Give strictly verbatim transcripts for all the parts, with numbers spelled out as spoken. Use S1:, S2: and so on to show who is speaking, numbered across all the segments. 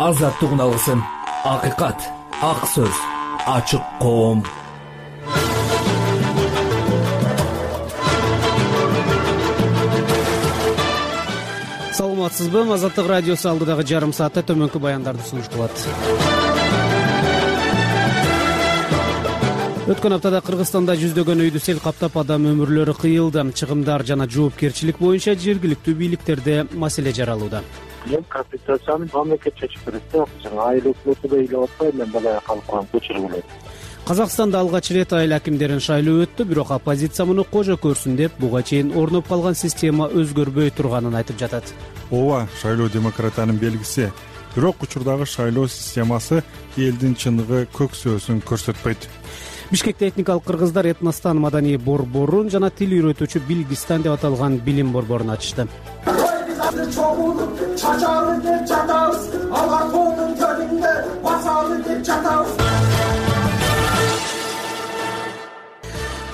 S1: азаттыгын алгысың. Акыйкат, ак сөз, ачык коом.
S2: Саламатсызбы? Азаттык радиосу алдыдагы жарым саатта төмөнкү баяндарды сунуш кылат. Өткөн аптада Кыргызстанда жүздөгөн үйдү сел каптап, адам өмүрлөрү кыйылды. Чыгымдар жана жоопкерчилик боюнча жергиликтүү бийликтерде маселе жаралууда.
S3: Мен компенсацияны мамлекет чечип берет да, жана айыл өкмөтү да ыйлап атпай, мен балай калып калган көчүрүп элем.
S2: Казакстанда алгач ирет айыл акимдерин шайлоо өттү, бирок оппозиция муну кожо көрсүн деп, буга чейин орноп калган система өзгөрбөй турганын айтып жатат.
S4: Ооба, шайлоо демократиянын белгиси. Бирок учурдагы шайлоо системасы элдин чыныгы көксөөсүн көрсөтпөйт.
S2: Бишкекте этникалык кыргыздар этностан маданий борборун жана тил үйрөтүүчү Билгистан деп аталган билим борборун ачышты.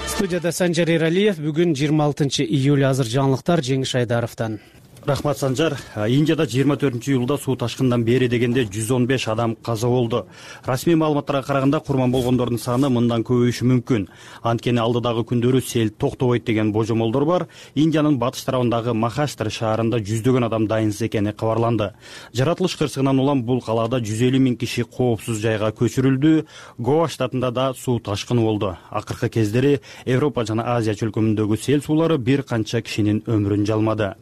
S2: Студияда Санжар Эралиев. Бүгүн жыйырма алтынчы июль. Азыр жаңылыктар Жеңиш Айдаровдон.
S5: Рахмат, Санжар. Индияда жыйырма төртүнчү июлда суу ташкындан бери дегенде жүз он беш адам каза болду. Расмий маалыматтарга караганда курман болгондордун саны мындан көбөйүшү мүмкүн. Анткени алдыдагы күндөрү сел токтобойт деген божомолдор бар. Индиянын батыш тарабындагы Махаштар шаарында жүздөгөн адам дайынсыз экени кабарланды. Жаратылыш кырсыгынан улам бул калаада жүз элүү миң киши коопсуз жайга көчүрүлдү. Гоа штатында да суу ташкыны болду. Акыркы кездери Европа жана Азия чөлкөмүндөгү сел суулары бир канча кишинин өмүрүн жалмады.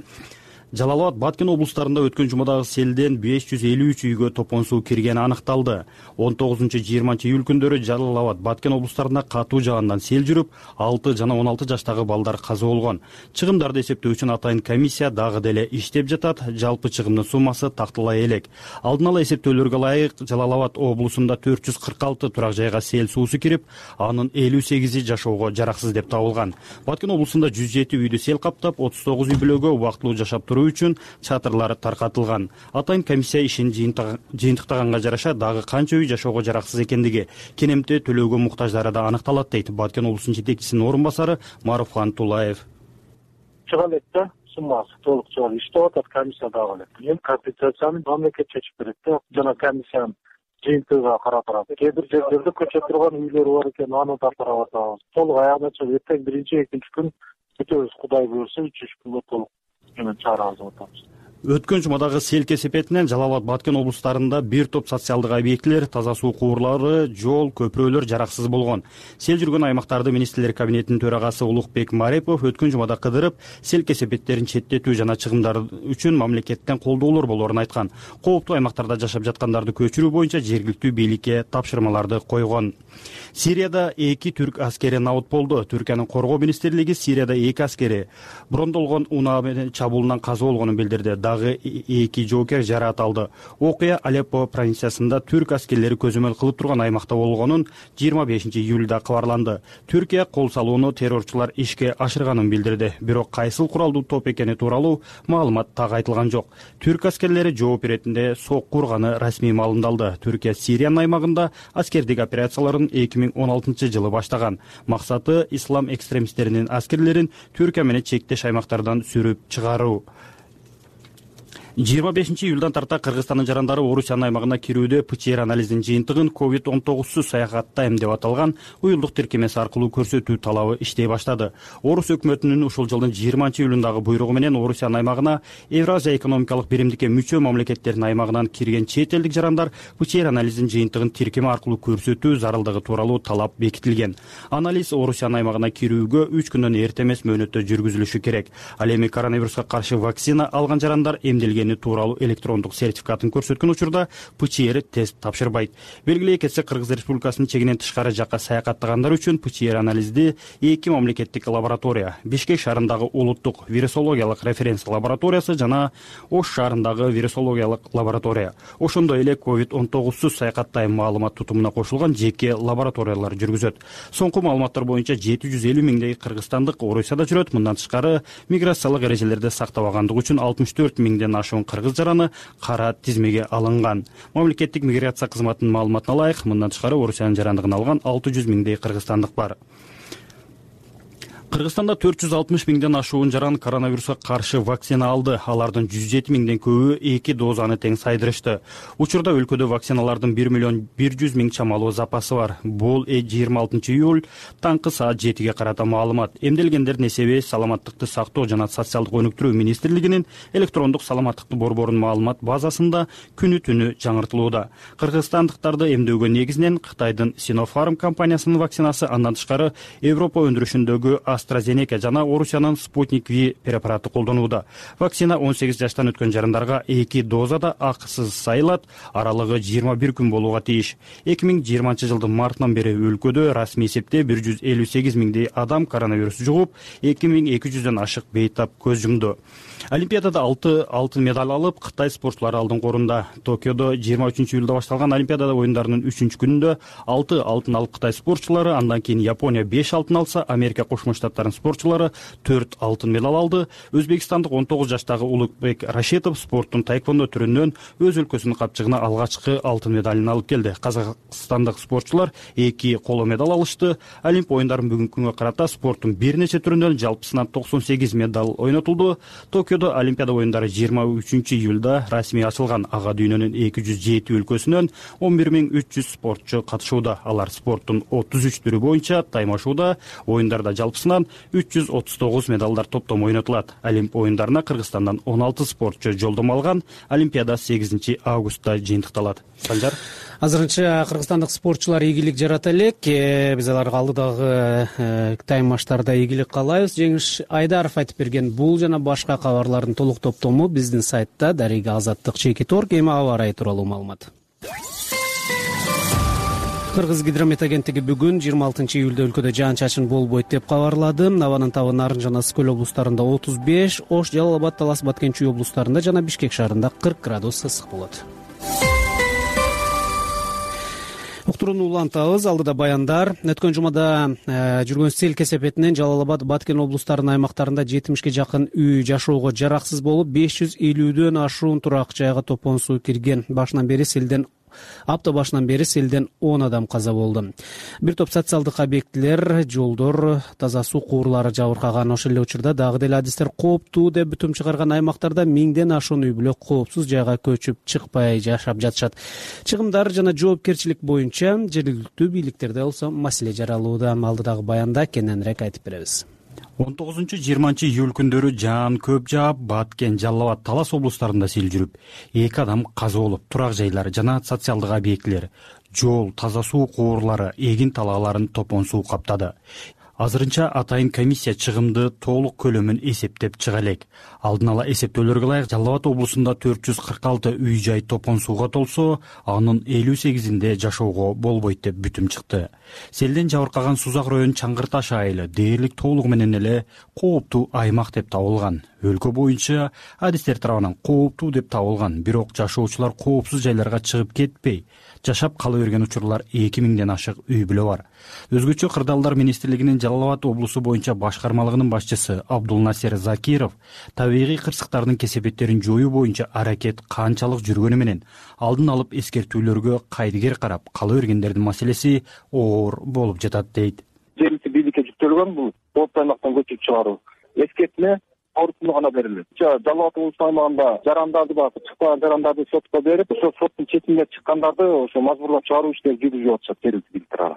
S5: Жалал-Абад, Баткен облустарында өткөн жумадагы селден беш жүз элүү үч үйгө топон суу киргени аныкталды. он тогузунчу жыйырманчы июль күндөрү Жалал-Абад, Баткен облустарында катуу жаагындан сел жүрүп, алты жана он алты жаштагы балдар каза болгон. Чыгымдарды эсептөө үчүн атайын комиссия дагы деле иштеп жатат. Жалпы чыгымдын суммасы такталай элек. Алдын ала эсептөөлөргө ылайык Жалал-Абад облусунда төрт жүз кырк алты турак жайга сел суусу кирип, анын элүү сегизи жашоого жараксыз деп табылган. Баткен облусунда жүз жети үйдү сел каптап, отуз тогуз үй бүлөгө убактылуу жашап туруу үчүн чатырлар таркатылган. Атайын комиссия ишин жыйынтыктаганга жараша дагы канча үй жашоого жараксыз экендиги, кенемте төлөөгө муктаждары да аныкталат дейт Баткен облусунун жетекчисинин орун басары Маруфхан Тулаев.
S3: Чыга элек да, суммасы толук чыга элек. Иштеп атат комиссия дагы элек. Эми компенсацияны мамлекет чечип берет да, жана комиссиянын жыйынтыгына карап турат. Кээ бир жерлерде көчө турган үйлөр бар экен, аны да карап атабыз. Толук аягына чыгып, эртең биринчи, экинчи күн бүтөбүз, Кудай буйрса, үч үч күнгө толук чарабыз атабыз.
S5: Өткөн жумадагы сел кесепетинен Жалал-Абад, Баткен облустарында бир топ социалдык объектилер, таза суу кубурлары, жол, көпүрөлөр жараксыз болгон. Сел жүргөн аймактарды министрлер кабинетинин төрагасы Улукбек Марепов өткөн жумада кыдырып, сел кесепеттерин четтетүү жана чыгымдар үчүн мамлекеттен колдоолор болоорун айткан. Кооптуу аймактарда жашап жаткандарды көчүрүү боюнча жергиликтүү бийликке тапшырмаларды койгон. Сирияда эки түрк аскери набыт болду. Түркиянын коргоо министрлиги Сирияда эки аскери брондолгон унаа менен чабуулунан каза болгонун билдирди. Дагы эки жоокер жараат алды. Окуя Алеппо провинциясында түрк аскерлери көзөмөл кылып турган аймакта болгонун жыйырма бешинчи июлда кабарланды. Түркия кол салууну террорчулар ишке ашырганын билдирди. Бирок кайсыл куралдуу топ экени тууралуу маалымат так айтылган жок. Түрк аскерлери жооп иретинде сокку урганы расмий маалымдалды. Түркия Сириянын аймагында аскердик операцияларын эки миң он алтынчы жылы баштаган. Максаты ислам экстремисттеринин аскерлерин Түркия менен чектеш аймактардан сүрүп чыгаруу. жыйырма бешинчи июлдан тарта Кыргызстандын жарандары Орусиянын аймагына кирүүдө ПЦР анализинин жыйынтыгын ковид он тогузсуз саякаттайм деп аталган уюлдук тиркемеси аркылуу көрсөтүү талабы иштей баштады. Орус өкмөтүнүн ушул жылдын жыйырманчы июлундагы буйругу менен Орусиянын аймагына Евразия экономикалык биримдикке мүчө мамлекеттердин аймагынан кирген чет элдик жарандар ПЦР анализинин жыйынтыгын тиркеме аркылуу көрсөтүү зарылдыгы тууралуу талап бекитилген. Анализ Орусиянын аймагына кирүүгө үч күндөн эрте эмес мөөнөттө жүргүзүлүшү керек. Ал эми коронавируска каршы вакцина алган жарандар эмделген тууралуу электрондук сертификатын көрсөткөн учурда ПЦР тест тапшырбайт. Белгилей кетсек, Кыргыз Республикасынын чегинен тышкары жакка саякаттагандар үчүн ПЦР анализди эки мамлекеттик лаборатория, Бишкек шаарындагы улуттук вирусологиялык референс лабораториясы жана Ош шаарындагы вирусологиялык лаборатория, ошондой эле ковид он тогузсуз саякаттайм маалымат тутумуна кошулган жеке лабораториялар жүргүзөт. Соңку маалыматтар боюнча жети жүз элүү миңдей кыргызстандык Орусияда жүрөт. Мындан тышкары миграциялык эрежелерди сактабагандыгы үчүн алтымыш төрт миңден ашуун кыргыз жараны кара тизмеге алынган. Мамлекеттик миграция кызматынын маалыматына ылайык, мындан тышкары Орусиянын жарандыгын алган алты жүз миңдей кыргызстандык бар. Кыргызстанда төрт жүз алтымыш миңден ашуун жаран коронавируска каршы вакцина алды. Алардын жүз жети миңден көбү эки дозаны тең сайдырышты. Учурда өлкөдө вакциналардын бир миллион бир жүз миң чамалуу запасы бар. Бул жыйырма алтынчы июль таңкы саат жетиге карата маалымат. Эмделгендердин эсеби Саламаттыкты сактоо жана социалдык өнүктүрүү министрлигинин электрондук саламаттыкты борборунун маалымат базасында күнү түнү жаңыртылууда. Кыргызстандыктарды эмдөөгө негизинен Кытайдын Sinopharm компаниясынын вакцинасы, андан тышкары Европа өндүрүшүндөгү AstraZeneca жана Орусиянын Sputnik V препараты колдонууда. Вакцина он сегиз жаштан өткөн жарандарга эки дозада акысыз сайылат, аралыгы жыйырма бир күн болууга тийиш. эки миң жыйырманчы жылдын мартынан бери өлкөдө расмий эсепте бир жүз элүү сегиз миңдей адам коронавирус жугуп, эки миң эки жүздөн ашык бейтап көз жумду. Олимпиадада алты алтын медаль алып, Кытай спортчулары алдыңкы орунда. Токиодо жыйырма үчүнчү июлда башталган Олимпиада оюндарынын үчүнчү күнүндө алты алтын алып Кытай спортчулары, андан кийин Япония беш алтын алса, Америка Кошмо Штаттарынын спортчулары төрт алтын медаль алды. Өзбекстандык он тогуз жаштагы Улукбек Рашитов спорттун тайквондо түрүнөн өз өлкөсүнүн капчыгына алгачкы алтын медалын алып келди. Казакстандык спортчулар эки коло медаль алышты. Олимп оюндарын бүгүнкү күнгө карата спорттун бир нече түрүнөн жалпысынан токсон сегиз медаль ойнотулду. Токиодо Олимпиада оюндары жыйырма үчүнчү июлда расмий ачылган. Ага дүйнөнүн эки жүз жети өлкөсүнөн он бир миң үч жүз спортчу катышууда. Алар спорттун отуз үч түрү боюнча таймашууда. Оюндарда жалпысынан үч жүз отуз тогуз медалдар топтом ойнотулат. Олимп оюндарына Кыргызстандан он алты спортчу жолдомо алган. Олимпиада сегизинчи августта жыйынтыкталат. Санжар,
S2: азырынча кыргызстандык спортчулар ийгилик жарата элек. Биз аларга алдыдагы таймаштарда ийгилик каалайбыз. Жеңиш Айдаров айтып берген бул жана башка кабарлардын толук топтому биздин сайтта Дарига Азаттык чекит точка орг. Эми аба ырайы тууралуу маалымат. Кыргыз гидромет агенттиги бүгүн жыйырма алтынчы июлда өлкөдө жаан-чачын болбойт деп кабарлады. Абанын табы Нарын жана Ысык көл облустарында отуз беш, Ош, Жалал Абад, Талас, Баткен, Чүй облустарында жана Бишкек шаарында кырк градус ысык болот. Уктурууну улантабыз. Алдыда баяндар. Өткөн жумада э, жүргөн сел кесепетинен Жалал Абад, Баткен облустарынын аймактарында жетимишке жакын үй жашоого жараксыз болуп, беш жүз элүүдөн ашуун турак жайга топон суу кирген. Башынан бери селден Апта башынан бери селден он адам каза болду. Бир топ социалдык объектилер, жолдор, таза суу куурлары жабыркаган. Ошол эле учурда дагы деле адистер кооптуу деп бүтүм чыгарган аймактарда миңден ашуун үй бүлө коопсуз жайга көчүп чыкпай жашап жатышат. Чыгымдар жана жоопкерчилик боюнча жергиликтүү бийликтерде болсо маселе жаралууда. Алдыдагы баянда кененирээк айтып беребиз.
S5: он тогузунчу жыйырманчы июль күндөрү жаан көп жаап, Баткен, Жалал Абад, Талас облустарында сел жүрүп, эки адам каза болуп, турак жайлар жана социалдык объектилер, жол, таза суу куурлары, эгин талааларын топон суу каптады. Азырынча атайын комиссия чыгымды толук көлөмүн эсептеп чыга элек. Алдын ала эсептөөлөргө ылайык Жалал Абад облусунда төрт жүз кырк алты үй жай топон сууга толсо, анын элүү сегизинде жашоого болбойт деп бүтүм чыкты. Селден жабыркаган Сузак район Чаңгыр Таш айылы дээрлик толугу менен эле кооптуу аймак деп табылган. Өлкө боюнча адистер тарабынан кооптуу деп табылган, бирок жашоочулар коопсуз жайларга чыгып кетпей, жашап кала берген учурлар эки миңден ашык үй бүлө бар. Өзгөчө кырдаалдар министрлигинин Жалал Абад облусу боюнча башкармалыгынын башчысы Абдулнасер Закиров табигый кырсыктардын кесепеттерин жоюу боюнча аракет канчалык жүргөнү менен алдын алып эскертүүлөргө кайдыгер карап, кала бергендердин маселеси оор болуп жатат дейт.
S3: Жергиликтүү бийликке жүктөлгөн бул кооптуу аймактан көчүп чыгаруу. Эскертме орусунда гана берилет. Жалал Абад облусу аймагында жарандарды бар, чыкпаган жарандарды сотко берип, ошо соттун четинде чыккандарды ошо мажбурлап чыгаруу иштери жүргүзүлүп атышат жергиликтүү бийликтер.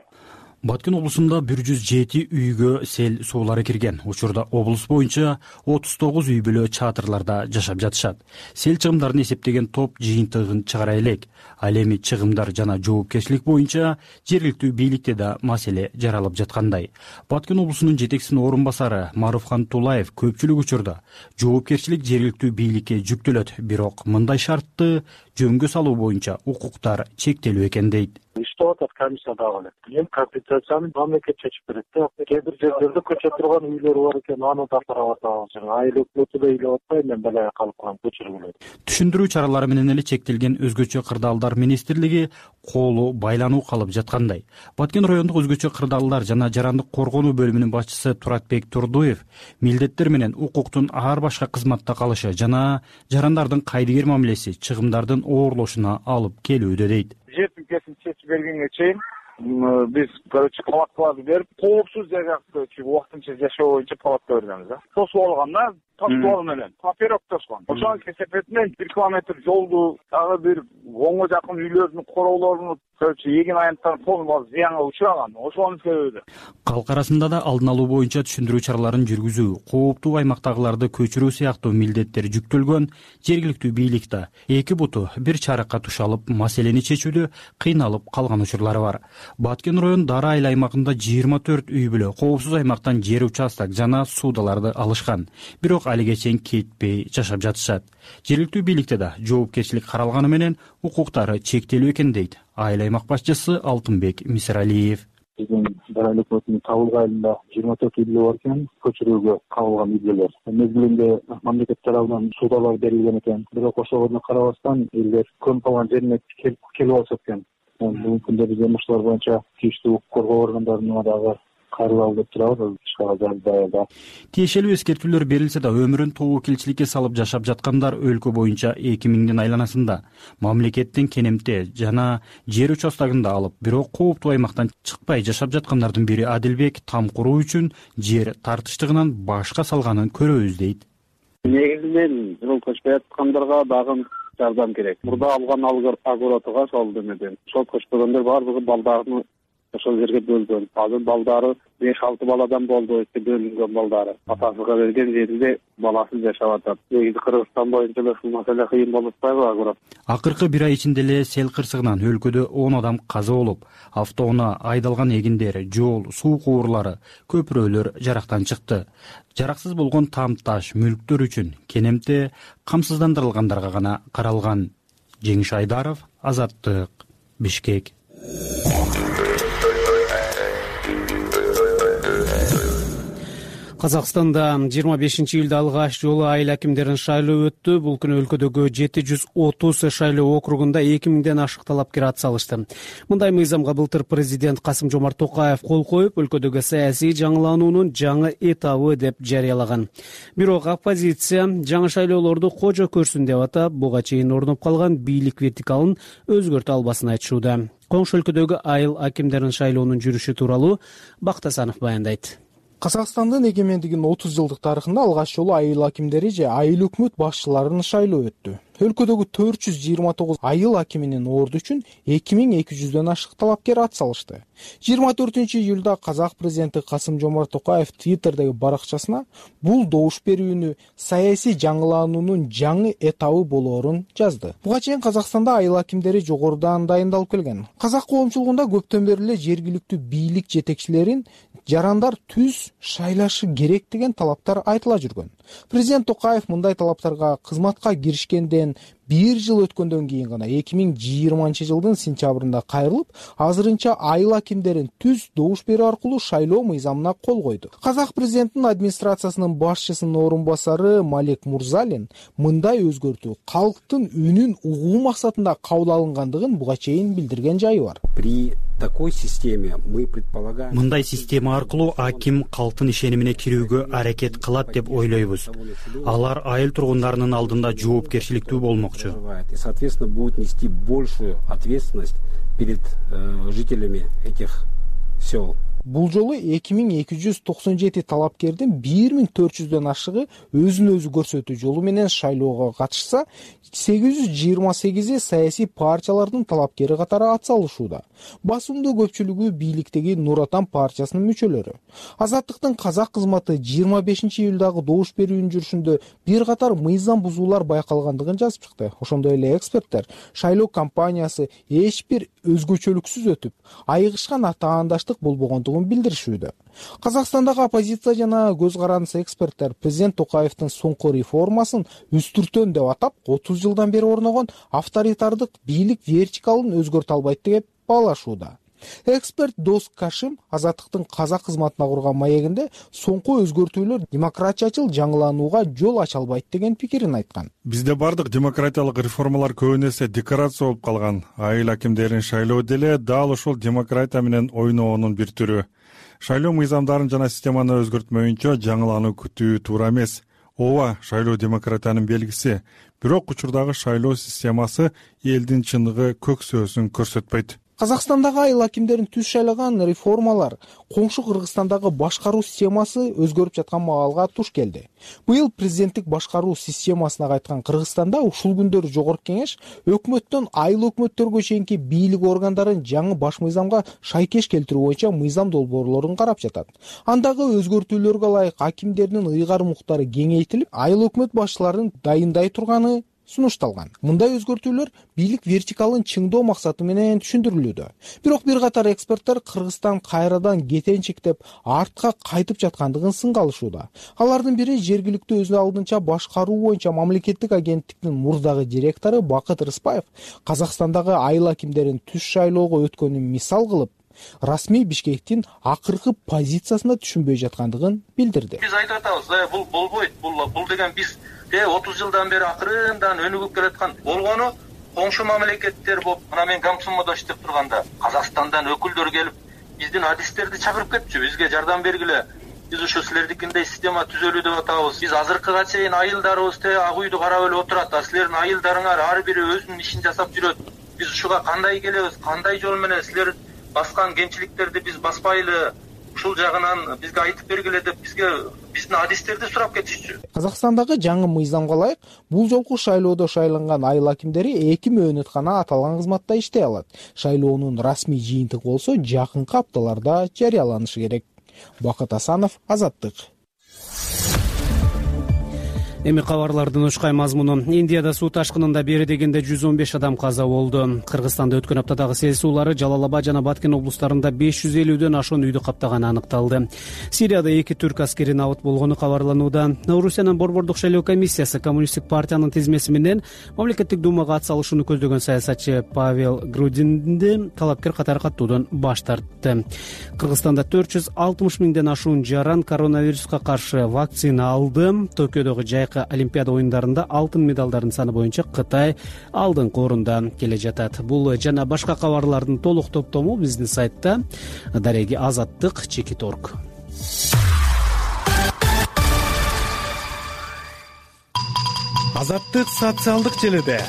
S5: Баткен облусунда бир жүз жети үйгө сел суулары кирген. Учурда облус боюнча отуз тогуз үй бүлө чатырларда жашап жатышат. Сел чыгымдарын эсептеген топ жыйынтыгын чыгара элек. Ал эми чыгымдар жана жоопкерчилик боюнча жергиликтүү бийликте да маселе жаралып жаткандай. Баткен облусунун жетекчисинин орун басары Маруфхан Тулаев көпчүлүк учурда жоопкерчилик жергиликтүү бийликке жүктөлөт, бирок мындай шартты жөнгө салуу боюнча укуктар чектелүү экен дейт.
S3: Иштеп атат комиссия дагы эле. Эми компенсацияны мамлекет чечип берет да. Кээ бир жерлерде көчө турган үйлөр бар экен, аны да карап атабыз. Жана айыл өкмөтү да ыйлап атпай, мен балага калып калган көчүргүлөр.
S5: Түшүндүрүү чаралары менен эле чектелген өзгөчө кырдаалдар министрлиги колу байлануу калып жаткандай. Баткен райондук өзгөчө кырдаалдар жана жарандык коргонуу бөлүмүнүн башчысы Туратбек Турдуев милдеттер менен укуктун ар башка кызматта калышы жана жарандардын кайдыгер мамилеси чыгымдардын оорлошуна алып келүүдө дейт.
S3: Жер тилкесин чечип бергенге чейин биз короче палаткаларды берип, коопсуз жайгакты убактынча жашоо боюнча палатка бергенбиз да. Тосуп алган да, таштоо менен паперок тосгон. Ошонун кесепетинен бир километр жолду, дагы бир онго жакын үйлөрдүн короолорун, короче эгин аянттарын полный зыянга учураган. Ошонун себеби.
S5: Калк арасында да алдын алуу боюнча түшүндүрүү чараларын жүргүзүү, кооптуу аймактагыларды көчүрүү сыяктуу милдеттер жүктөлгөн жергиликтүү бийликте эки буту бир чарыкка тушалып, маселени чечүүдө кыйналып калган учурлары бар. Баткен район Дара айыл аймагында жыйырма төрт үй бүлө коопсуз аймактан жер участок жана суудаларды алышкан. Бирок алиге чейин кетпей жашап жатышат. Жергиликтүү бийликте да жоопкерчилик каралганы менен укуктары чектелүү экен дейт айыл аймак башчысы Алтынбек Мисиралиев.
S3: Биздин Дара айыл өкмөтүнүн Табылга айылында жыйырма төрт үй бүлө бар экен, көчүрүүгө кабылган үй бүлөлөр. Мезгилинде мамлекет тарабынан суудалар берилген экен. Бирок ошого карабастан элдер көнүп калган жерине келип алышат экен. Бүгүнкү күндө биз ушулар боюнча тийиштүү укук коргоо органдарына дагы кайрылалы деп турабыз. Ишкада
S5: тиешелүү эскертүүлөр берилсе да өмүрүн тобокелчиликке салып жашап жаткандар өлкө боюнча эки миңдин айланасында мамлекеттин кенемте жана жер участогунда алып, бирок кооптуу аймактан чыкпай жашап жаткандардын бири Адилбек там куруу үчүн жер тартыштыгынан башка салганын көрөбүз дейт.
S6: Негизинен жол көчпөй аткандарга дагы жардам керек. Мурда алган агоротуга сол демеден жол көчпөгөндөр баардыгы балдарын ошол жерге бөлгөн. Азыр балдары беш алты баладан болду, бөлүнгөн балдары. Атасыга берген жеринде баласы жашап атат. Негизи Кыргызстан боюнча да ушул маселе кыйын болуп атпайбы агорот?
S5: Акыркы бир ай ичинде эле сел кырсыгынан өлкөдө он адам каза болуп, автоунаа айдалган эгиндер, жол, суу куурлары, көпүрөлөр жарактан чыкты. Жараксыз болгон там таш мүлктөр үчүн кенемте камсыздандырылгандарга гана каралган. Жеңиш Айдаров, Азаттык, Бишкек.
S2: Казакстанда жыйырма бешинчи июлда алгач жолу айыл акимдерин шайлоо өттү. Бул күнү өлкөдөгү жети жүз отуз шайлоо округунда эки миңден ашык талапкер ат салышты. Мындай мыйзамга былтыр президент Касым Жомарт Токаев кол коюп, өлкөдөгү саясий жаңылануунун жаңы этабы деп жарыялаган. Бирок оппозиция жаңы шайлоолорду кожо көрсүн деп атап, буга чейин орноп калган бийлик вертикалын өзгөртө албасын айтышууда. Коңшу өлкөдөгү айыл акимдерин шайлоонун жүрүшү тууралуу Бактасанов баяндайт.
S7: Казакстандын эгемендигинин отуз жылдык тарыхында алгач жолу айыл акимдери же айыл өкмөт башчыларын шайлоо өттү. Өлкөдөгү төрт жүз жыйырма тогуз айыл акиминин орду үчүн эки миң эки жүздөн ашык талапкер ат салышты. жыйырма төртүнчү июлда казак президенти Касым Жомарт Токаев Твиттердеги баракчасына бул добуш берүүнү саясий жаңылануунун жаңы этабы болоорун жазды. Буга чейин Казакстанда айыл акимдери жогорудан дайындалып келген. Казак коомчулугунда көптөн бери эле жергиликтүү бийлик жетекчилерин жарандар түз шайлашы керек деген талаптар айтыла жүргөн. Президент Токаев мындай талаптарга кызматка киришкенден бир жыл өткөндөн кийин гана эки миң жыйырманчы жылдын сентябрында кайрылып, азырынча айыл акимдерин түз добуш берүү аркылуу шайлоо мыйзамына кол койду. Казак президентинин администрациясынын башчысынын орун басары Малек Мурзалин мындай өзгөртүү калктын үнүн угуу максатында кабыл алынгандыгын буга чейин билдирген жайы бар.
S8: При такой системе мы предполагаем...
S5: Мындай система аркылуу аким калктын ишенимине кирүүгө аракет кылат деп ойлойбуз. Алар айыл тургундарынын алдында жоопкерчиликтүү болмокчу.
S8: И, соответственно, будет нести большую ответственность перед э, жителями этих сел.
S7: Бул жолу эки миң эки жүз токсон жети талапкердин бир миң төрт жүздөн ашыгы өзүн өзү көрсөтүү жолу менен шайлоого катышса, сегиз жүз жыйырма сегизи саясий партиялардын талапкери катары ат салышууда. Басымдуу көпчүлүгү бийликтеги Нур Отан партиясынын мүчөлөрү. Азаттыктын казак кызматы жыйырма бешинчи июлдагы добуш берүүнүн жүрүшүндө бир катар мыйзам бузуулар байкалгандыгын жазып чыкты. Ошондой эле эксперттер шайлоо кампаниясы эч бир өзгөчөлүксүз өтүп, айыгышкан атаандаштык болбогондугун билдиришүүдө. Казакстандагы оппозиция жана көз карандысы эксперттер президент Токаевдин соңку реформасын үстүртөн деп атап, отуз жылдан бери орногон авторитардык бийлик вертикалын өзгөртө албайт деп баалашууда. Эксперт Дос Кашим Азаттыктын казак кызматына курган маегинде соңку өзгөртүүлөр демократиячыл жаңыланууга жол ача албайт деген пикирин айткан.
S4: Бизде бардык демократиялык реформалар көбүн эсе декорация болуп калган. Айыл акимдерин шайлоо деле дал ошол демократия менен ойноонун бир түрү. Шайлоо мыйзамдарын жана системаны өзгөртмөйүнчө жаңылануу күтүү туура эмес. Ооба, шайлоо демократиянын белгиси. Бирок учурдагы шайлоо системасы элдин чыныгы көксөөсүн көрсөтпөйт.
S7: Казакстандагы айыл акимдерин түз шайлаган реформалар коңшу Кыргызстандагы башкаруу системасы өзгөрүп жаткан маалга туш келди. Быйыл президенттик башкаруу системасына кайткан Кыргызстанда ушул күндөрү жогорку кеңеш өкмөттөн айыл өкмөттөргө чейинки бийлик органдарын жаңы баш мыйзамга шайкеш келтирүү боюнча мыйзам долбоорлорун карап жатат. Андагы өзгөртүүлөргө ылайык акимдердин ыйгарым укуктары кеңейтилип, айыл өкмөт башчыларын дайындай турганы сунушталган. Мындай өзгөртүүлөр бийлик вертикалын чыңдоо максаты менен түшүндүрүлүүдө. Бирок бир катар эксперттер Кыргызстан кайрадан кетенчиктеп артка кайтып жаткандыгын сынга алышууда. Алардын бири жергиликтүү өз алдынча башкаруу боюнча мамлекеттик агенттиктин мурдагы директору Бакыт Рыспаев Казакстандагы айыл акимдерин түз шайлоого өткөнүн мисал кылып, расмий Бишкектин акыркы позициясына түшүнбөй жаткандыгын билдирди.
S9: Биз айтып атабыз, бул болбойт, бул бул деген биз отуз жылдан бери акырындан өнүгүп келаткан болгону коңшу мамлекеттер болуп, мына мен Гамсумоодо иштеп турганда Казакстандан өкүлдөр келип, биздин адистерди чакырып кетчү, бизге жардам бергиле. Биз ушу силердикиндей система түзөлүү деп атабыз. Биз азыркыга чейин айылдарыбыз те ак үйдү карап эле отурат, а силердин айылдарыңар ар бири өзүнүн ишин жасап жүрөт. Биз ушуга кандай келебиз, кандай жол менен силер баскан кемчиликтерди биз баспайлы, ушул жагынан бизге айтып бергиле деп бизге биздин адистерди сурап кетишчү.
S7: Казакстандагы жаңы мыйзамга ылайык бул жолку шайлоодо шайланган айыл акимдери эки мөөнөт гана аталган кызматта иштей алат. Шайлоонун расмий жыйынтыгы болсо жакынкы апталарда жарыяланышы керек. Бакыт Асанов, Азаттык.
S2: Эми кабарлардын ушкай мазмуну. Индияда суу ташкынында бери дегенде жүз он беш адам каза болду. Кыргызстанда өткөн аптадагы сел суулары Жалал-Абад жана Баткен облустарында беш жүз элүүдөн ашуун үйдү каптаганы аныкталды. Сирияда эки түрк аскери набыт болгону кабарланууда. Орусиянын борбордук шайлоо комиссиясы Коммунисттик партиянын тизмеси менен мамлекеттик думага ат салышууну көздөгөн саясатчы Павел Грудинди талапкер катары каттуудан баш тартты. Кыргызстанда төрт жүз алтымыш миңден ашуун жаран коронавируска каршы вакцина алды. Токиодогу жайкы Олимпиада оюндарында алтын медалдардын саны боюнча Кытай алдыңкы орунда келе жатат. Бул жана башка кабарлардын толук топтому биздин сайтта дареги азаттык чекит точка орг.
S10: Азаттык социалдык желеде.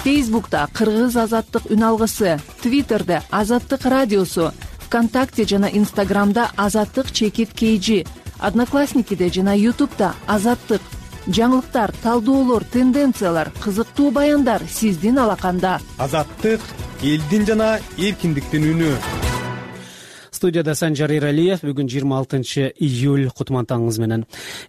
S11: Фейсбукта Кыргыз азаттык үн алгысы, Твиттерде Азаттык радиосу, ВКонтакте жана Инстаграмда Азаттык чекит kg, Одноклассникиде жана Ютубта Азаттык. Жаңылыктар, талдоолор, тенденциялар, кызыктуу баяндар сиздин алаканда.
S10: Азаттык элдин жана эркиндиктин үнү.
S2: Студияда Санжар Иралиев. Бүгүн жыйырма алтынчы июль. Кутман таңыңыз менен.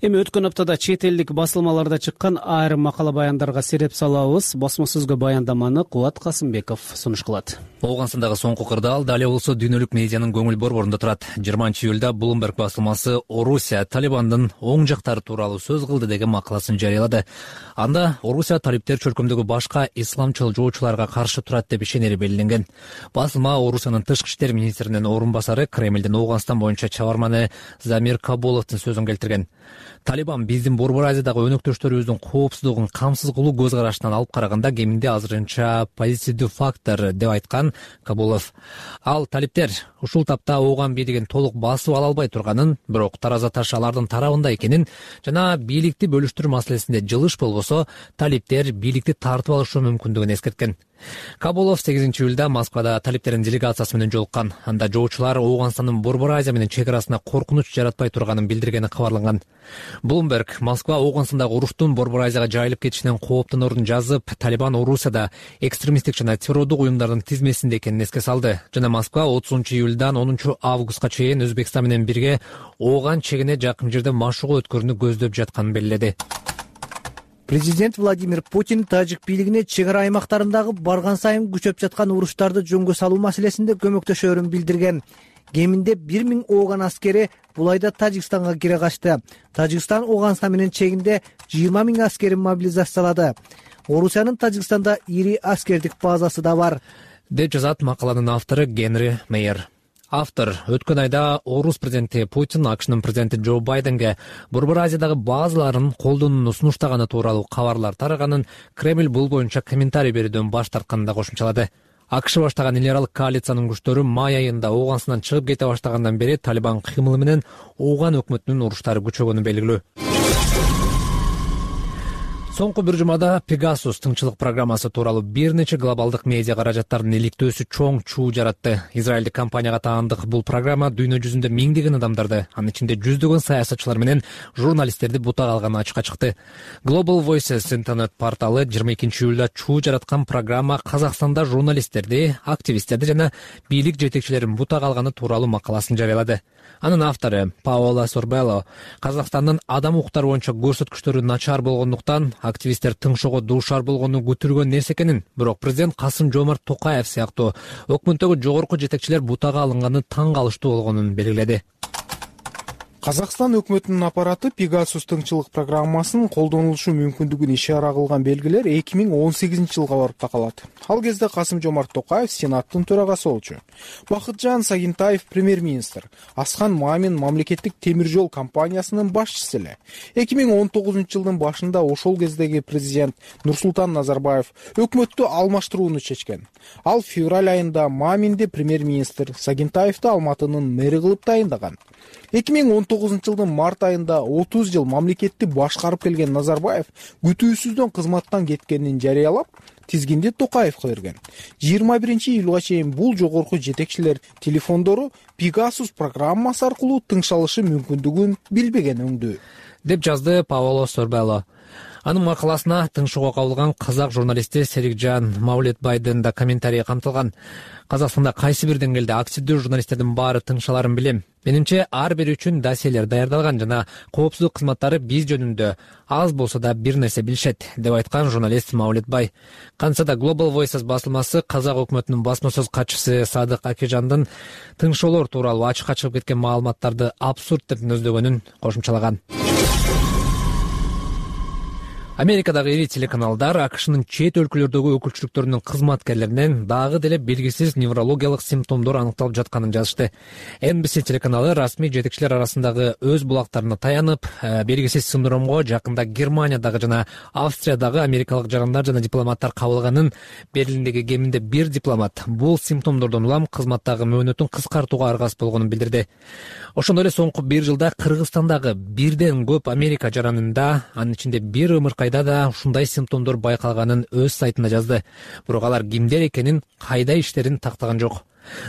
S2: Эми өткөн аптада чет элдик басылмаларда чыккан айрым макала баяндарга сереп салабыз. Басма сөзгө баяндаманы Кубат Касымбеков сунуш кылат.
S1: Оогунстандагы соңку кырдаал дал эле болсо дүйнөлүк медианын көңүл борборунда турат. жыйырманчы июлда Bloomberg басылмасы Орусия Талибандын оң жактары тууралуу сөз кылды деген макаласын жарыялады. Анда Орусия талиптер чөлкөмдөгү башка исламчыл жоочуларга каршы турат деп ишенери белгиленген. Басылма Орусиянын тышкы иштер министринин орун басары Кремлдин Ооганстан боюнча чабарманы Замир Кабуловдун сөзүн келтирген. Талибан биздин Борбор Азиядагы өнөктөштөрүбүздүн коопсуздугун камсыз кылуу көз карашынан алып караганда кеминде азырынча позитивдүү фактор деп айткан Кабулов. Ал талиптер ушул тапта Ооган бийлигин толук басып ала албай турганын, бирок тараза таш алардын тарабында экенин жана бийликти бөлүштүрүү маселесинде жылыш болбосо талиптер бийликти тартып алышы мүмкүндүгүн эскерткен. Кабулов сегизинчи июлда Москвада талиптердин делегациясы менен жолуккан. Анда жоочулар Ооганстандын Борбор Азия менен чек арасына коркунуч жаратпай турганын билдиргени кабарланган. Bloomberg Москва Ооганстандагы уруштун Борбор Азияга жайылып кетишинен кооптонорун жазып, Талибан Орусияда экстремисттик жана террордук уюмдардын тизмесинде экенин эске салды. Жана Москва отузунчу июлдан онунчу августка чейин Өзбекстан менен бирге Ооган чегине жакын жерде машыгуу өткөрүүнү көздөп жатканын белгиледи.
S12: Президент Владимир Путин тажик бийлигине чек ара аймактарындагы барган сайын күчөп жаткан уруштарды жөнгө салуу маселесинде көмөктөшөрүн билдирген. Кеминде бир миң Ооган аскери бул айда Тажикстанга кире качты. Тажикстан Ооганстан менен чегинде жыйырма миң аскерин мобилизациялады. Орусиянын Тажикстанда ири аскердик базасы да бар,
S1: деп жазат макаланын автору Генри Мейер. Автор өткөн айда Орус президенти Путин АКШнын президенти Джо Байденге Борбор Азиядагы базаларын колдонууну сунуштаганы тууралуу кабарлар тараганын, Кремль бул боюнча комментарий берүүдөн баш тартканын да кошумчалады. АКШ баштаган эл аралык коалициянын күчтөрү май айында Ооганстандан чыгып кете баштагандан бери Талибан кыймылы менен Ооган өкмөтүнүн уруштары күчөгөнү белгилүү. Соңку бир жумада Pegasus тыңчылык программасы тууралуу бир нече глобалдык медиа каражаттардын иликтөөсү чоң чуу жаратты. Израилдик компанияга таандык бул программа дүйнө жүзүндө миңдеген адамдарды, анын ичинде жүздөгөн саясатчылар менен журналисттерди бутак алганы ачыкка чыкты. Global Voices интернет порталы жыйырма экинчи июлда чуу жараткан программа Казакстанда журналисттерди, активисттерди жана бийлик жетекчилерин бутак алганы тууралуу макаласын жарыялады. Анын автору Паоло Сорбелло Казакстандын адам укуктары боюнча көрсөткүчтөрү начар болгондуктан активисттер тыңшоого дуушар болгону күтүлгөн нерсе экенин, бирок президент Касым Жомарт Токаев сыяктуу өкмөттөгү жогорку жетекчилер бутага алынганы таң калыштуу болгонун белгиледи.
S7: Казакстан өкмөтүнүн аппараты Pegasus тыңчылык программасынын колдонулушу мүмкүндүгүн ишара кылган белгилер эки миң он сегизинчи жылга барып такалат. Ал кезде Касым Жомарт Токаев Сенаттын төрагасы болчу. Бакытжан Сагинтаев премьер-министр, Аскан Мамин мамлекеттик темир жол компаниясынын башчысы эле. эки миң он тогузунчу жылдын башында ошол кездеги президент Нурсултан Назарбаев өкмөттү алмаштырууну чечкен. Ал февраль айында Маминди премьер-министр, Сагинтаевди Алматынын мэри кылып дайындаган. эки миң он тогузунчу жылдын март айында отуз жыл мамлекетти башкарып келген Назарбаев күтүүсүздөн кызматтан кеткенин жарыялап, тизгинди Токаевге берген. жыйырма биринчи июлга чейин бул жогорку жетекчилер телефондору Pegasus программасы аркылуу тыңшалышы мүмкүндүгүн билбеген өңдүү,
S1: деп жазды Паоло Сорбелло. Анын макаласына тыңшоого кабылган казак журналисти Серикжан Маулетбайдын да комментарийи камтылган. Казакстанда кайсы бир деңгээлде активдүү журналисттердин баары тыңшаларын билем. Менимче ар бири үчүн досьелер даярдалган жана коопсуздук кызматтары биз жөнүндө аз болсо да бир нерсе билишет, деп айткан журналист Маулетбай. Кантса да Global Voices басылмасы казак өкмөтүнүн басма сөз катчысы Садык Акижандын тыңшоолор тууралуу ачыкка чыгып кеткен маалыматтарды абсурд деп нөздөгөнүн кошумчалаган. Америкадагы ири телеканалдар АКШнын чет өлкөлөрдөгү өкүлчүлүктөрүнүн кызматкерлеринен дагы деле белгисиз неврологиялык симптомдор аныкталып жатканын жазышты. Эн Би Си телеканалы расмий жетекчилер арасындагы өз булактарына таянып, белгисиз синдромго жакында Германиядагы жана Австриядагы америкалык жарандар жана дипломаттар кабылганын, Берлиндеги кеминде бир дипломат бул симптомдордон улам кызматтагы мөөнөтүн кыскартууга аргасыз болгонун билдирди. Ошондой эле соңку бир жылда Кыргызстандагы бирден көп Америка жаранында, анын ичинде бир ымыркайда да ушундай симптомдор байкалганын өз сайтында жазды. Бирок алар кимдер экенин, кайда иштерин тактаган жок.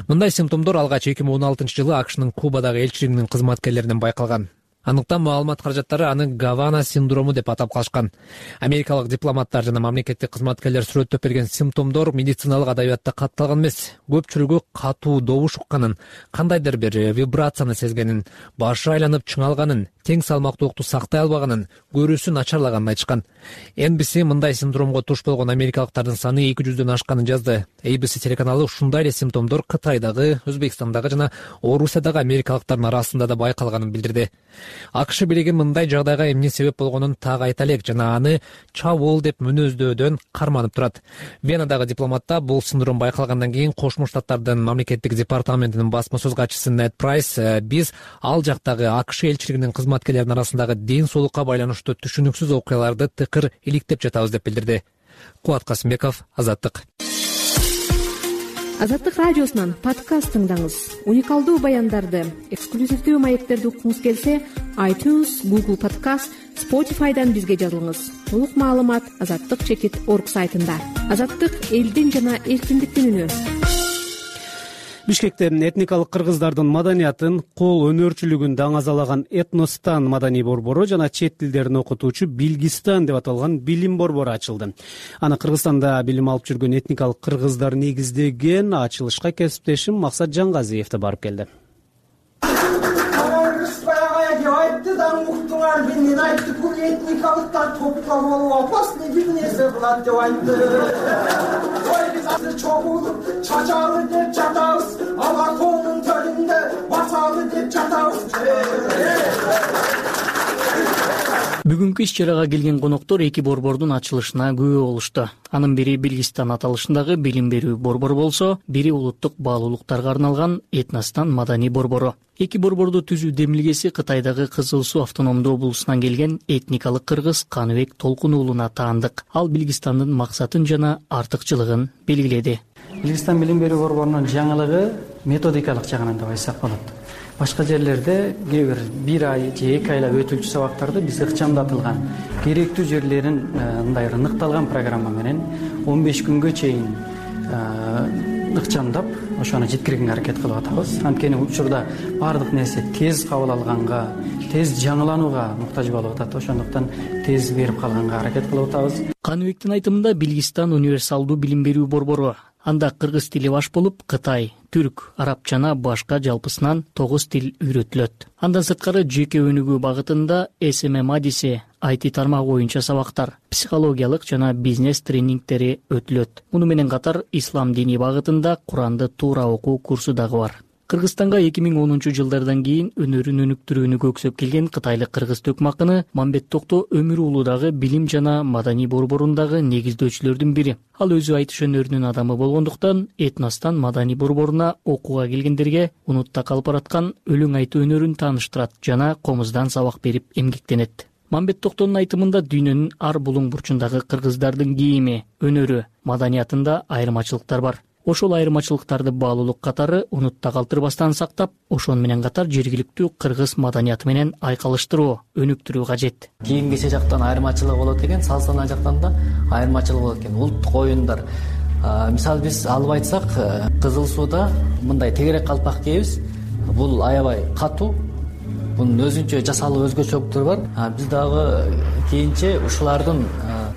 S1: Мындай симптомдор алгач эки миң он алтынчы жылы АКШнын Кубадагы элчилигинин кызматкерлеринен байкалган. Андыктан маалымат каражаттары аны Гавана синдрому деп атап калышкан. Америкалык дипломаттар жана мамлекеттик кызматкерлер сүрөттөп берген симптомдор медициналык адабиятта катталган эмес. Көпчүлүгү катуу добуш укканын, кандайдыр бир вибрацияны сезгенин, башы айланып чыңалганын, тең салмактуулукту сактай албаганын, көрүүсү начарлаганын айтышкан. Эн Би Си мындай синдромго туш болгон америкалыктардын саны эки жүздөн ашканын жазды. Эй Би Си телеканалы ушундай эле симптомдор Кытайдагы, Өзбекстандагы жана Орусиядагы америкалыктардын арасында да байкалганын билдирди. АКШ бийлиги мындай жагдайга эмне себеп болгонун так айта элек жана аны чабуул деп мүнөздөодөн карманып турат. Венадагы дипломатта бул синдром байкалгандан кийин Кошмо Штаттардын мамлекеттик департаментинин басма сөз катчысы Нед Прайс биз ал жактагы АКШ элчилигинин кызматкерлеринин арасындагы ден соолукка байланыштуу түшүнүксүз окуяларды тыкыр иликтеп жатабыз деп билдирди. Кубат Касымбеков, Азаттык.
S13: Азаттык радиосунан подкаст тыңдаңыз. Уникалдуу баяндарды, эксклюзивдүү маектерди уккуңуз келсе, iTunes, Google Podcast, Spotify'дан бизге жазылыңыз. Толук маалымат азаттык чекит точка орг сайтында. Азаттык элдин жана эркиндиктин үнү.
S2: Бишкекте этникалык кыргыздардын маданиятын, кол өнөрчүлүгүн даңазалаган Этностан маданий борбору жана чет тилдерин окутуучу Билгистан деп аталган билим борбору ачылды. Аны Кыргызстанда билим алып жүргөн этникалык кыргыздар негиздеген. Ачылышка кесиптешим Максат Жаңгазиев да барып келди.
S14: Мен айтты, бул этникалыктар топтолуп алып опасный бир нерсе кылат деп айтты. Ой, биз азыр чогулуп чачалы деп жатабыз, ага коонун төрүндө басалы деп жатабыз.
S15: Бүгүнкү иш-чарага келген коноктор эки борбордун ачылышына күбө болушту. Анын бири Билгистан аталышындагы билим берүү борбору болсо, бири улуттук баалуулуктарга арналган Этностан маданий борбору. Эки борборду түзүү демилгеси Кытайдагы Кызыл Суу автономдуу облусунан келген этникалык кыргыз Каныбек Толкун уулуна таандык. Ал Билгистандын максатын жана артыкчылыгын белгиледи.
S16: Билгистан билим берүү борборунун жаңылыгы методикалык жагынан деп айтсак болот. башка жерлерде кээ бир бир ай же эки айлап өтүлчү сабактарды биз ыкчамдатылган керектүү жерлерин мындай ыныкталган программа менен он беш күнгө чейин ыкчамдап ошону жеткиргенге аракет кылып атабыз. Анткени учурда баардык нерсе тез кабыл алганга, тез жаңыланууга муктаж болуп атат. Ошондуктан тез берип калганга аракет кылып атабыз.
S15: Каныбектин айтымында Белгистан универсалдуу билим берүү борбору. Анда кыргыз тили баш болуп, кытай, түрк, арабча жана башка жалпысынан тогуз тил үйрөтүлөт. Андан сырткары жеке өнүгүү багытында эс эм эм адиси, ай ти тармагы боюнча сабактар, психологиялык жана бизнес тренингтери өтүлөт. Муну менен катар ислам дини багытында Куранды туура окуу курсу дагы бар. Кыргызстанга эки миң онунчу жылдардан кийин өнөрүн өнүктүрүүнү көксөп келген кытайлык кыргыз төкмакыны Мамбет Токто Өмүр уулу дагы билим жана маданий борборундагы негиздөөчүлөрдүн бири. Ал өзү айтыш өнөрүнүн адамы болгондуктан Этностан маданий борборуна окууга келгендерге унутта калып бараткан өлөң айтуу өнөрүн тааныштырат жана комуздан сабак берип эмгектенет. Мамбет Токтонун айтымында дүйнөнүн ар булуң бурчундагы кыргыздардын кийими, өнөрү, маданиятында айырмачылыктар бар. Ошол айырмачылыктарды баалуулук катары унутта калтырбастан сактап, ошон менен катар жергиликтүү кыргыз маданияты менен айкалыштыруу, өнүктүрүү кажет.
S17: Кийим кече жактан айырмачылык болот экен, салт-санаа жактан да айырмачылык болот экен. Улуттук оюндар. Мисалы биз алып айтсак, Кызыл Сууда мындай тегерек калпак кийебиз. Бул аябай катуу. Бунун өзүнчө жасалуу өзгөчөлүктөрү бар. Биз дагы кийинче ушулардын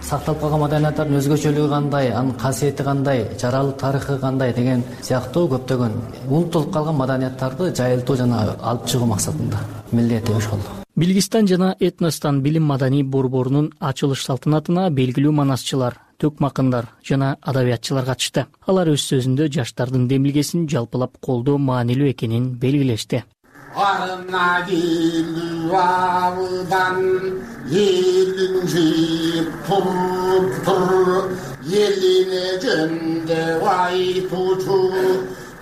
S17: сакталып калган маданияттардын өзгөчөлүгү кандай, анын касиети кандай, жаралуу тарыхы кандай деген сыяктуу көптөгөн унутулуп калган маданияттарды жайылтуу жана алып чыгуу максатында милдети ошол.
S15: Белгистан жана Этностан билим маданий борборунун ачылыш салтанатына белгилүү манасчылар, төкмакындар жана адабиятчылар катышты. Алар өз сөзүндө жаштардын демилгесин жалпылап колдоо маанилүү экенин белгилешти.
S18: Арына келүү абыдан элин жыйып туруп тур, элине жөндөп айтуучу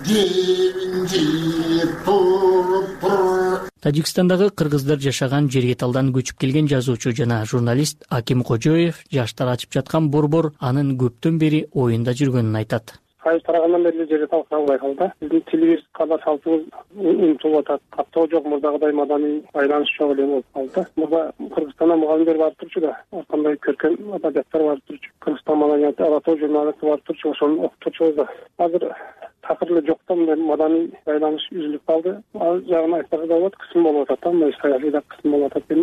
S18: кебин жыйып туруп тур.
S15: Тажикстандагы кыргыздар жашаган Жергеталдан көчүп келген жазуучу жана журналист Аким Кожоев жаштар ачып жаткан борбор анын көптөн бери оюнда жүргөнүн айтат.
S6: Кайыс тарагандан бери Жергетал калбай калды. Биздин тилибиз, када салтыбыз унутулуп атат. Каттоо жок, мурдагыдай маданий байланыш жок эле болуп калды. Мурда Кыргызстандан мугалимдер барып турчу да, ар кандай көркөм адабияттар барып турчу. Кыргызстан маданияты, Алатоо журналисти барып турчу, ошону окутучубуз да. Азыр такыр эле жоктон мындай маданий байланыш үзүлүп калды. Ал жагын айтсак да болот, кысым болуп атат, мындай саясий да кысым болуп атат деп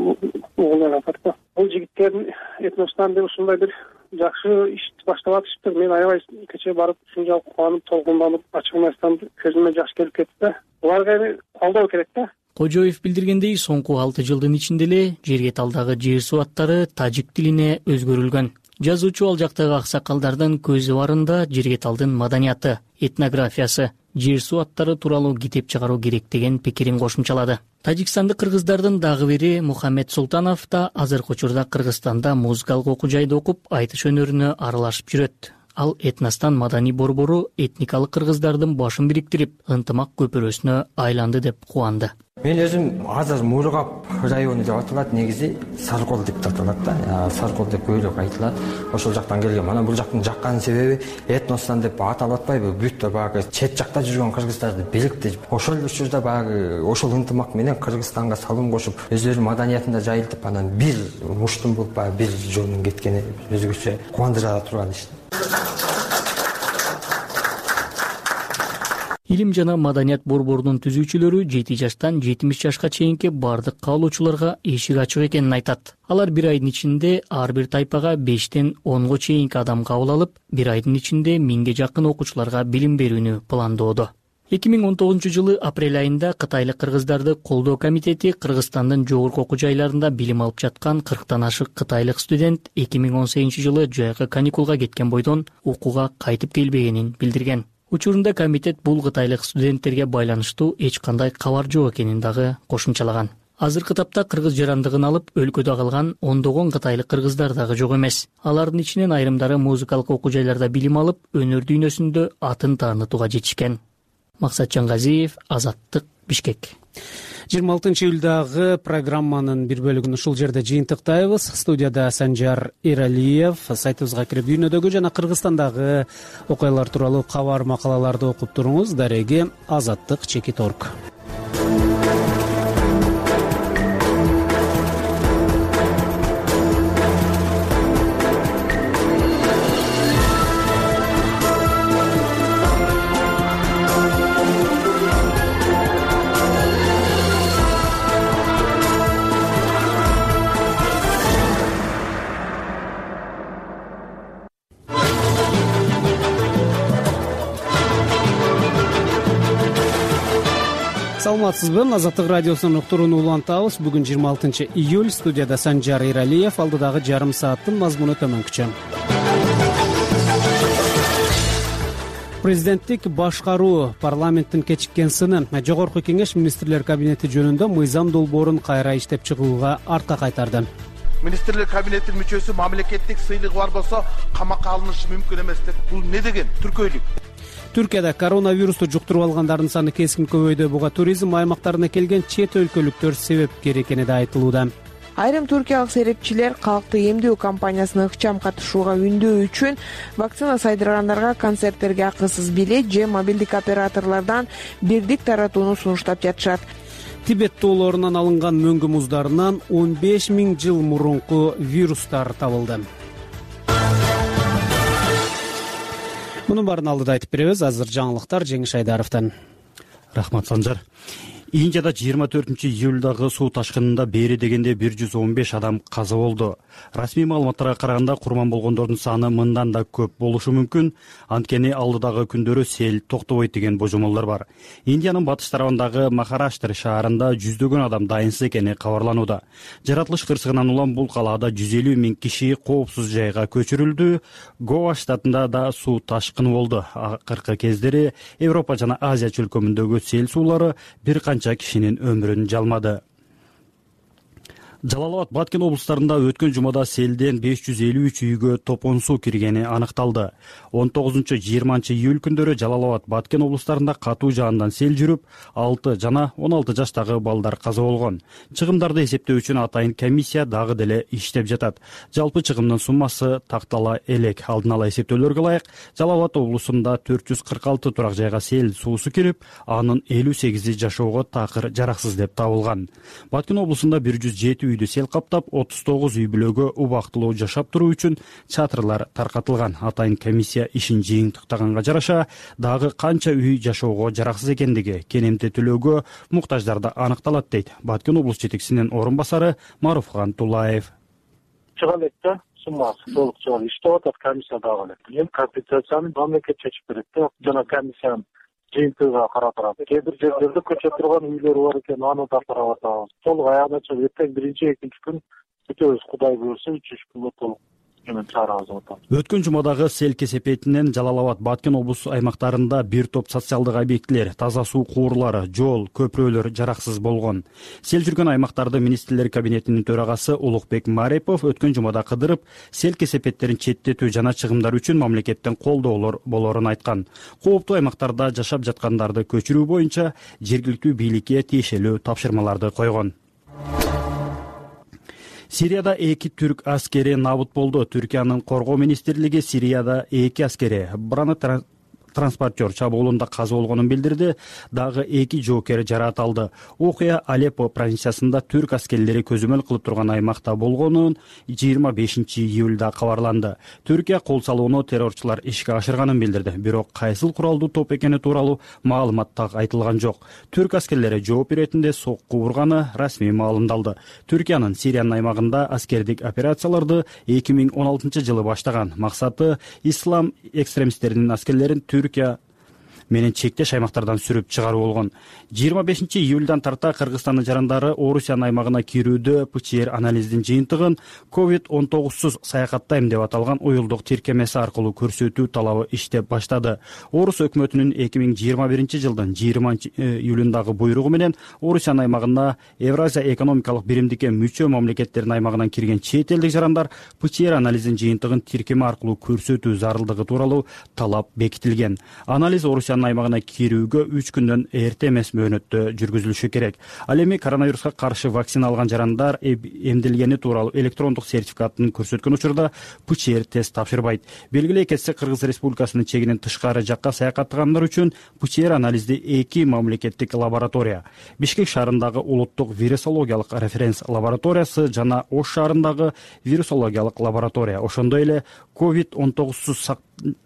S6: угулар атат. Бул жигиттердин Этностан деп ушундай бир жакшы иш баштап атышыптыр. Мен аябай кече барып ушунчалык кубанып, толкунданып, ачыгын айтсам көзүмө жаш келип кетти да. Буларга эми колдоо керек да.
S15: Кожоев билдиргендей, соңку алты жылдын ичинде эле Жергеталдагы жер суу аттары тажик тилине өзгөрүлгөн. Жазуучу ал жактагы аксакалдардын көзү барында Жергеталдын маданияты, этнографиясы, жер суу аттары тууралуу китеп чыгаруу керек деген пикирин кошумчалады. Тажикстандык кыргыздардын дагы бири Мухаммед Султанов да азыркы учурда Кыргызстанда музыкалык окуу жайда окуп, айтыш өнөрүнө аралашып жүрөт. Ал Этностан маданий борбору этникалык кыргыздардын башын бириктирип, ынтымак көпүрөсүнө айланды деп кубанды.
S19: Мен өзүм азыр Мургап району деп аталат, негизи Саркол деп аталат да. Саркол деп көбүрөөк айтылат. Ошол жактан келген. Мана бул жактын жаккан себеби Этностан деп аталып атпайбы? Бүт багы чет жакта жүргөн кыргыздарды бириктирип, ошол учурда багы ошол ынтымак менен Кыргызстанга салым кошуп, өздөрүнүн маданиятында жайылтып, анан бир муштун болуп, бир жолдун кеткени өзгөчө кубандыра турган иш.
S15: Илим жана маданият борборунун түзүүчүлөрү жети жаштан жетимиш жашка чейинки бардык каалоочуларга эшик ачык экенин айтат. Алар бир айдын ичинде ар бир тайпага бештен онго чейинки адам кабыл алып, бир айдын ичинде миңге жакын окуучуларга билим берүүнү пландоодо. эки миң он тогузунчу жылы апрель айында кытайлык кыргыздарды колдоо комитети Кыргызстандын жогорку окуу жайларында билим алып жаткан кырктан ашык кытайлык студент эки миң он сегизинчи жылы жайкы каникулга кеткен бойдон окууга кайтып келбегенин билдирген. Учурунда комитет бул кытайлык студенттерге байланыштуу эч кандай кабар жок экенин дагы кошумчалаган. Азыркы тапта кыргыз жарандыгын алып өлкөдө калган ондогон кытайлык кыргыздар дагы жок эмес. Алардын ичинен айрымдары музыкалык окуу жайларда билим алып, өнөр дүйнөсүндө атын таанытууга жетишкен. Максатжан Газиев, Азаттык, Бишкек.
S2: жыйырма алтынчы июлдагы программанын бир бөлүгүн ушул жерде жыйынтыктайбыз. Студияда Санжар Эралиев. Сайтыбызга кирип дүйнөдөгү жана Кыргызстандагы окуялар тууралуу кабар макалаларды окуп туруңуз. Дареги азаттык чекит точка орг. саламатсызбы? Азаттык радиосунун уктуруну улантабыз. Бүгүн жыйырма алтынчы июль. Студияда Санжар Иралиев. Алдыдагы жарым сааттын мазмуну төмөнкүчө. Президенттик башкаруу парламенттин кечиккен сыны. Жогорку кеңеш министрлер кабинети жөнүндө мыйзам долбоорун кайра иштеп чыгууга артка кайтарды.
S20: Министрлер кабинетинин мүчөсү мамлекеттик сыйлыгы бар болсо камакка алынышы мүмкүн эмес деп. Бул не деген түркөйлүк?
S2: Түркияда коронавирусту жуктуруп алгандардын саны кескин көбөйдү. Буга туризм аймактарына келген чет өлкөлүктөр себепкер экени да айтылууда.
S21: Айрым түркиялык серепчилер калкты эмдөө кампаниясына ыкчам катышууга үндөө үчүн вакцина сайдыргандарга концерттерге акысыз билет же мобилдик операторлордон бирдик таратууну сунуштап жатышат.
S2: Тибет тоолорунан алынган мөңгү муздарынан он беш миң жыл мурунку вирустар табылды. Мунун баарын алдыда айтып беребиз. Азыр жаңылыктар Жеңиш Айдаровдон.
S5: Рахмат, Санжар. Индияда жыйырма төртүнчү июлдагы суу ташкынында бери дегенде бир жүз он беш адам каза болду. Расмий маалыматтарга караганда курман болгондордун саны мындан да көп болушу мүмкүн. Анткени алдыдагы күндөрү сел токтобойт деген божомолдор бар. Индиянын батыш тарабындагы Махараштр шаарында жүздөгөн адам дайынсыз экени кабарланууда. Жаратылыш кырсыгынан улам бул калаада жүз элүү миң киши коопсуз жайга көчүрүлдү. Гоа штатында да суу ташкыны болду. Акыркы кездери Европа жана Азия чөлкөмүндөгү сел суулары бир канча кишинин өмүрүн жалмады. Жалал-Абад, Баткен облустарында өткөн жумада селден беш жүз элүү үч үйгө топон суу киргени аныкталды. он тогузунчу жыйырманчы июль күндөрү Жалал-Абад, Баткен облустарында катуу жаандан сел жүрүп, алты жана он алты жаштагы балдар каза болгон. Чыгымдарды эсептөө үчүн атайын комиссия дагы деле иштеп жатат. Жалпы чыгымдын суммасы тактала элек. Алдын ала эсептөөлөргө ылайык, Жалал-Абад облусунда төрт жүз кырк алты турак жайга сел суусу кирип, анын элүү сегизи жашоого такыр жараксыз деп табылган. Баткен облусунда бир жүз жети үйдү сел каптап, отуз тогуз үй бүлөгө убактылуу жашап туруу үчүн чатырлар таркатылган. Атайын комиссия ишин жыйынтыктаганга жараша дагы канча үй жашоого жараксыз экендиги, кенемти төлөөгө муктаждарда аныкталат дейт Баткен облус жетекчисинин орун басары Маруфхан Тулаев.
S3: Чыга элек да, суммасы толук чыга элек. Иштеп атат комиссия дагы элек. Эми компенсацияны мамлекет чечип берет да, жана комиссиянын жыйынтыгына карап турат. Кээ бир жерлерде көчөп турган үйлөр бар экен, аны да карап атабыз. Толук аягына чыгып, эртең биринчи, экинчи күн бүтөбүз. Кудай буйрса, үч үч күнгө толук эмен чыгарабыз деп атабыз.
S5: Өткөн жумадагы сел кесепетинен Жалал-Абад, Баткен облус аймактарында бир топ социалдык объектилер, таза суу куурлары, жол, көпүрөлөр жараксыз болгон. Сел жүргөн аймактарды министрлер кабинетинин төрагасы Улукбек Марипов өткөн жумада кыдырып, сел кесепеттерин четтетүү жана чыгымдар үчүн мамлекеттен колдоолор болорун айткан. Кооптуу аймактарда жашап жаткандарды көчүрүү боюнча жергиликтүү бийликке тиешелүү тапшырмаларды койгон. Сирияда эки түрк аскери набыт болду. Түркиянын коргоо министрлиги Сирияда эки аскери Браны транспортер чабуулунда каза болгонун билдирди. Дагы эки жоокер жараат алды. Окуя Алеппо провинциясында түрк аскерлери көзөмөл кылып турган аймакта болгонун жыйырма бешинчи июлда кабарланды. Түркия кол салууну террорчулар ишке ашырганын билдирди. Бирок кайсыл куралдуу топ экени тууралуу маалымат так айтылган жок. Түрк аскерлери жооп беретинде сокку урганы расмий маалымдалды. Түркиянын Сириянын аймагында аскердик операцияларды эки миң он алтынчы жылы баштаган. Максаты ислам экстремисттеринин аскерлерин Түркия менен чектеш аймактардан сүрүп чыгаруу болгон. жыйырма бешинчи июлдан тарта Кыргызстандын жарандары Орусиянын аймагына кирүүдө ПЧР анализдин жыйынтыгын ковид он тогузсуз саякаттайм деп аталган уюлдук тиркемеси аркылуу көрсөтүү талабы иштеп баштады. Орус өкмөтүнүн эки миң жыйырма биринчи жылдын жыйырманчы июлундагы буйругу менен Орусиянын аймагына Евразия экономикалык биримдикке мүчө мамлекеттердин аймагынан кирген чет элдик жарандар ПЧР анализдин жыйынтыгын тиркеме аркылуу көрсөтүү зарылдыгы тууралуу талап бекитилген. Анализ Орусиянын аймагына кирүүгө үч күндөн эрте эмес мөөнөттө жүргүзүлүшү керек. Ал эми коронавируска каршы вакцина алган жарандар эмделгени тууралуу электрондук сертификатын көрсөткөн учурда ПЧР тест тапшырбайт. Белгилей кетсек, Кыргыз Республикасынын чегинен тышкары жакка саякаттагандар үчүн ПЧР анализди эки мамлекеттик лаборатория, Бишкек шаарындагы улуттук вирусологиялык референс лабораториясы жана Ош шаарындагы вирусологиялык лаборатория, ошондой эле ковид он тогузсуз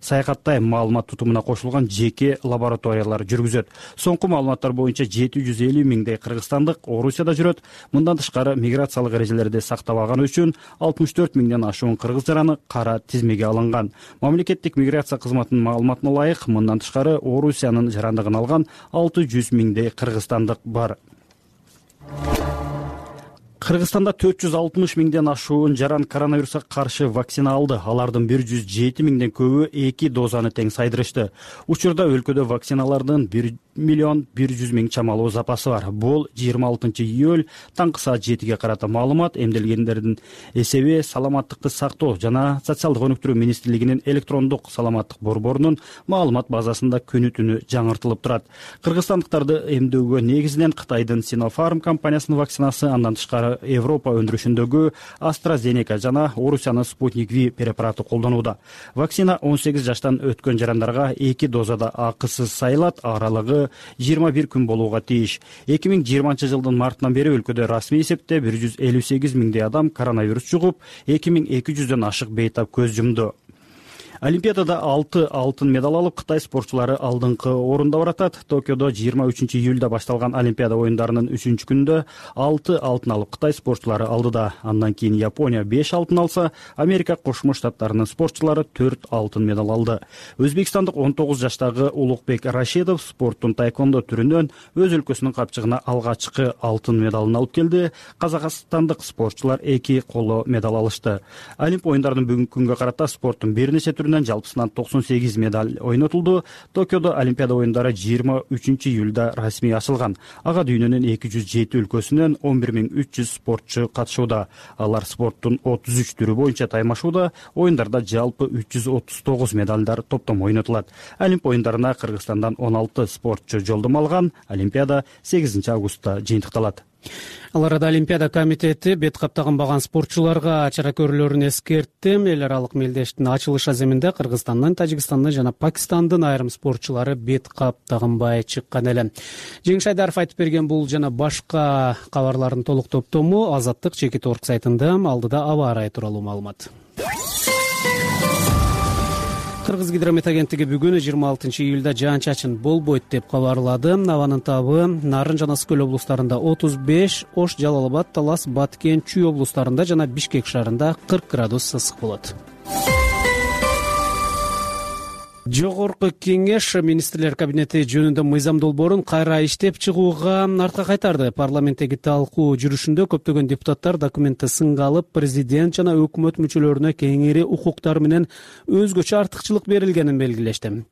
S5: саякаттай маалымат тутумуна кошулган жеке ишти лабораториялар жүргүзөт. Соңку маалыматтар боюнча жети жүз элүү миңдей кыргызстандык Орусияда жүрөт. Мындан тышкары миграциялык эрежелерди сактабаганы үчүн алтымыш төрт миңден ашуун кыргыз жараны кара тизмеге алынган. Мамлекеттик миграция кызматынын маалыматына ылайык, мындан тышкары Орусиянын жарандыгын алган алты жүз миңдей кыргызстандык бар. Кыргызстанда төрт жүз алтымыш миңден ашуун жаран коронавируска каршы вакцина алды. Алардын бир жүз жети миңден көбү эки дозаны тең сайдырышты. Учурда өлкөдө вакциналардын бир миллион бир жүз миң чамалуу запасы бар. Бул жыйырма алтынчы июль таңкы саат жетиге карата маалымат эмделгендердин эсеби саламаттыкты сактоо жана социалдык өнүктүрүү министрлигинин электрондук саламаттык борборунун маалымат базасында күнү түнү жаңыртылып турат. Кыргызстандыктарды эмдөөгө негизинен Кытайдын Sinopharm компаниясынын вакцинасы, андан тышкары Европа өндүрүшүндөгү AstraZeneca жана Орусиянын Sputnik V препараты колдонууда. Вакцина он сегиз жаштан өткөн жарандарга эки дозада акысыз сайылат, аралыгы жыйырма бир күн болууга тийиш. эки миң жыйырманчы жылдын мартынан бери өлкөдө расмий эсепте бир жүз элүү сегиз миңдей адам коронавирус жугуп, эки миң эки жүздөн ашык бейтап көз жумду. Олимпиадада алты алтын медаль алып, Кытай спортчулары алдыңкы орунда баратат. Токиодо жыйырма үчүнчү июлда башталган Олимпиада оюндарынын үчүнчү күнүндө алты алтын алып, Кытай спортчулары алдыда. Андан кийин Япония беш алтын алса, Америка Кошмо Штаттарынын спортчулары төрт алтын медаль алды. Өзбекстандык он тогуз жаштагы Улукбек Рашидов спорттун тайкондо түрүнөн өз өлкөсүнүн капчыгына алгачкы алтын медалын алып келди. Казакстандык спортчулар эки коло медаль алышты. Олимп оюндарынын бүгүнкү күнгө карата спорттун бир нече жалпысынан токсон сегиз медаль ойнотулду. Токиодо Олимпиада оюндары жыйырма үчүнчү июлда расмий ачылган. Ага дүйнөнүн эки жүз жети өлкөсүнөн он бир миң үч жүз спортчу катышууда. Алар спорттун отуз үч түрү боюнча таймашууда. Оюндарда жалпы үч жүз отуз тогуз медальдар топтом ойнотулат. Олимп оюндарына Кыргызстандан он алты спортчу жолдомо алган. Олимпиада сегизинчи августта жыйынтыкталат.
S2: Ал арада Олимпиада комитети бет каптаган спортчуларга чара көрүүлөрүн эскертти. Эл аралык мелдештин ачылыш аземинде Кыргызстандын, Тажикстандын жана Пакистандын айрым спортчулары бет каптаганбай чыккан эле. Жеңиш Айдаров айтып берген бул жана башка кабарлардын толук топтому Азаттык чекит орг сайтында. Алдыда аба ырайы тууралуу маалымат. Кыргыз гидромет агенттиги бүгүн жыйырма алтынчы июлда жаан-чачын болбойт деп кабарлады. Абанын табы Нарын жана Скөл облустарында отуз беш, Ош, Жалал Абад, Талас, Баткен, Чүй облустарында жана Бишкек шаарында кырк градус ысык болот. Жогорку кеңеш министрлер кабинети жөнүндө мыйзам долбоорун кайра иштеп чыгууга артка кайтарды. Парламенттеги талкуу жүрүшүндө көптөгөн депутаттар документти сынга алып, президент жана өкмөт мүчөлөрүнө кеңири укуктар менен өзгөчө артыкчылык берилгенин белгилешти.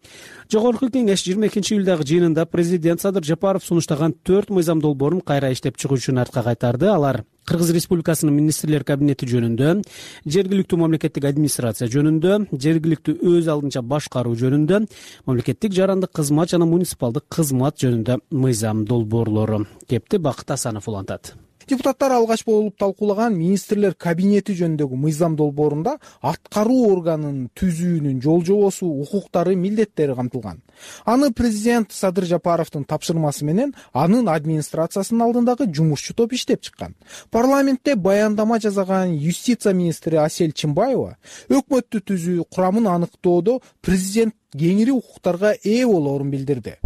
S2: Жогорку кеңеш жыйырма экинчи июлдагы жыйынында президент Садыр Жапаров сунуштаган төрт мыйзам долбоорун кайра иштеп чыгуу үчүн артка кайтарды. Алар Кыргыз Республикасынын министрлер кабинети жөнүндө, жергиликтүү мамлекеттик администрация жөнүндө, жергиликтүү өз алдынча башкаруу жөнүндө, мамлекеттик жарандык кызмат жана муниципалдык кызмат жөнүндө мыйзам долбоорлору. Кепти Бакыт Асанов улантат.
S7: Депутаттар алгач болуп талкуулаган министрлер кабинети жөнүндөгү мыйзам долбоорунда аткаруу органынын түзүүнүн жол-жобосу, укуктары, милдеттери камтылган. Аны президент Садыр Жапаровдун тапшырмасы менен анын администрациясынын алдындагы жумушчу топ иштеп чыккан. Парламентте баяндама жасаган юстиция министри Асель Чимбаева өкмөттү түзүү курамын аныктоодо президент кеңири укуктарга ээ болоорун билдирди.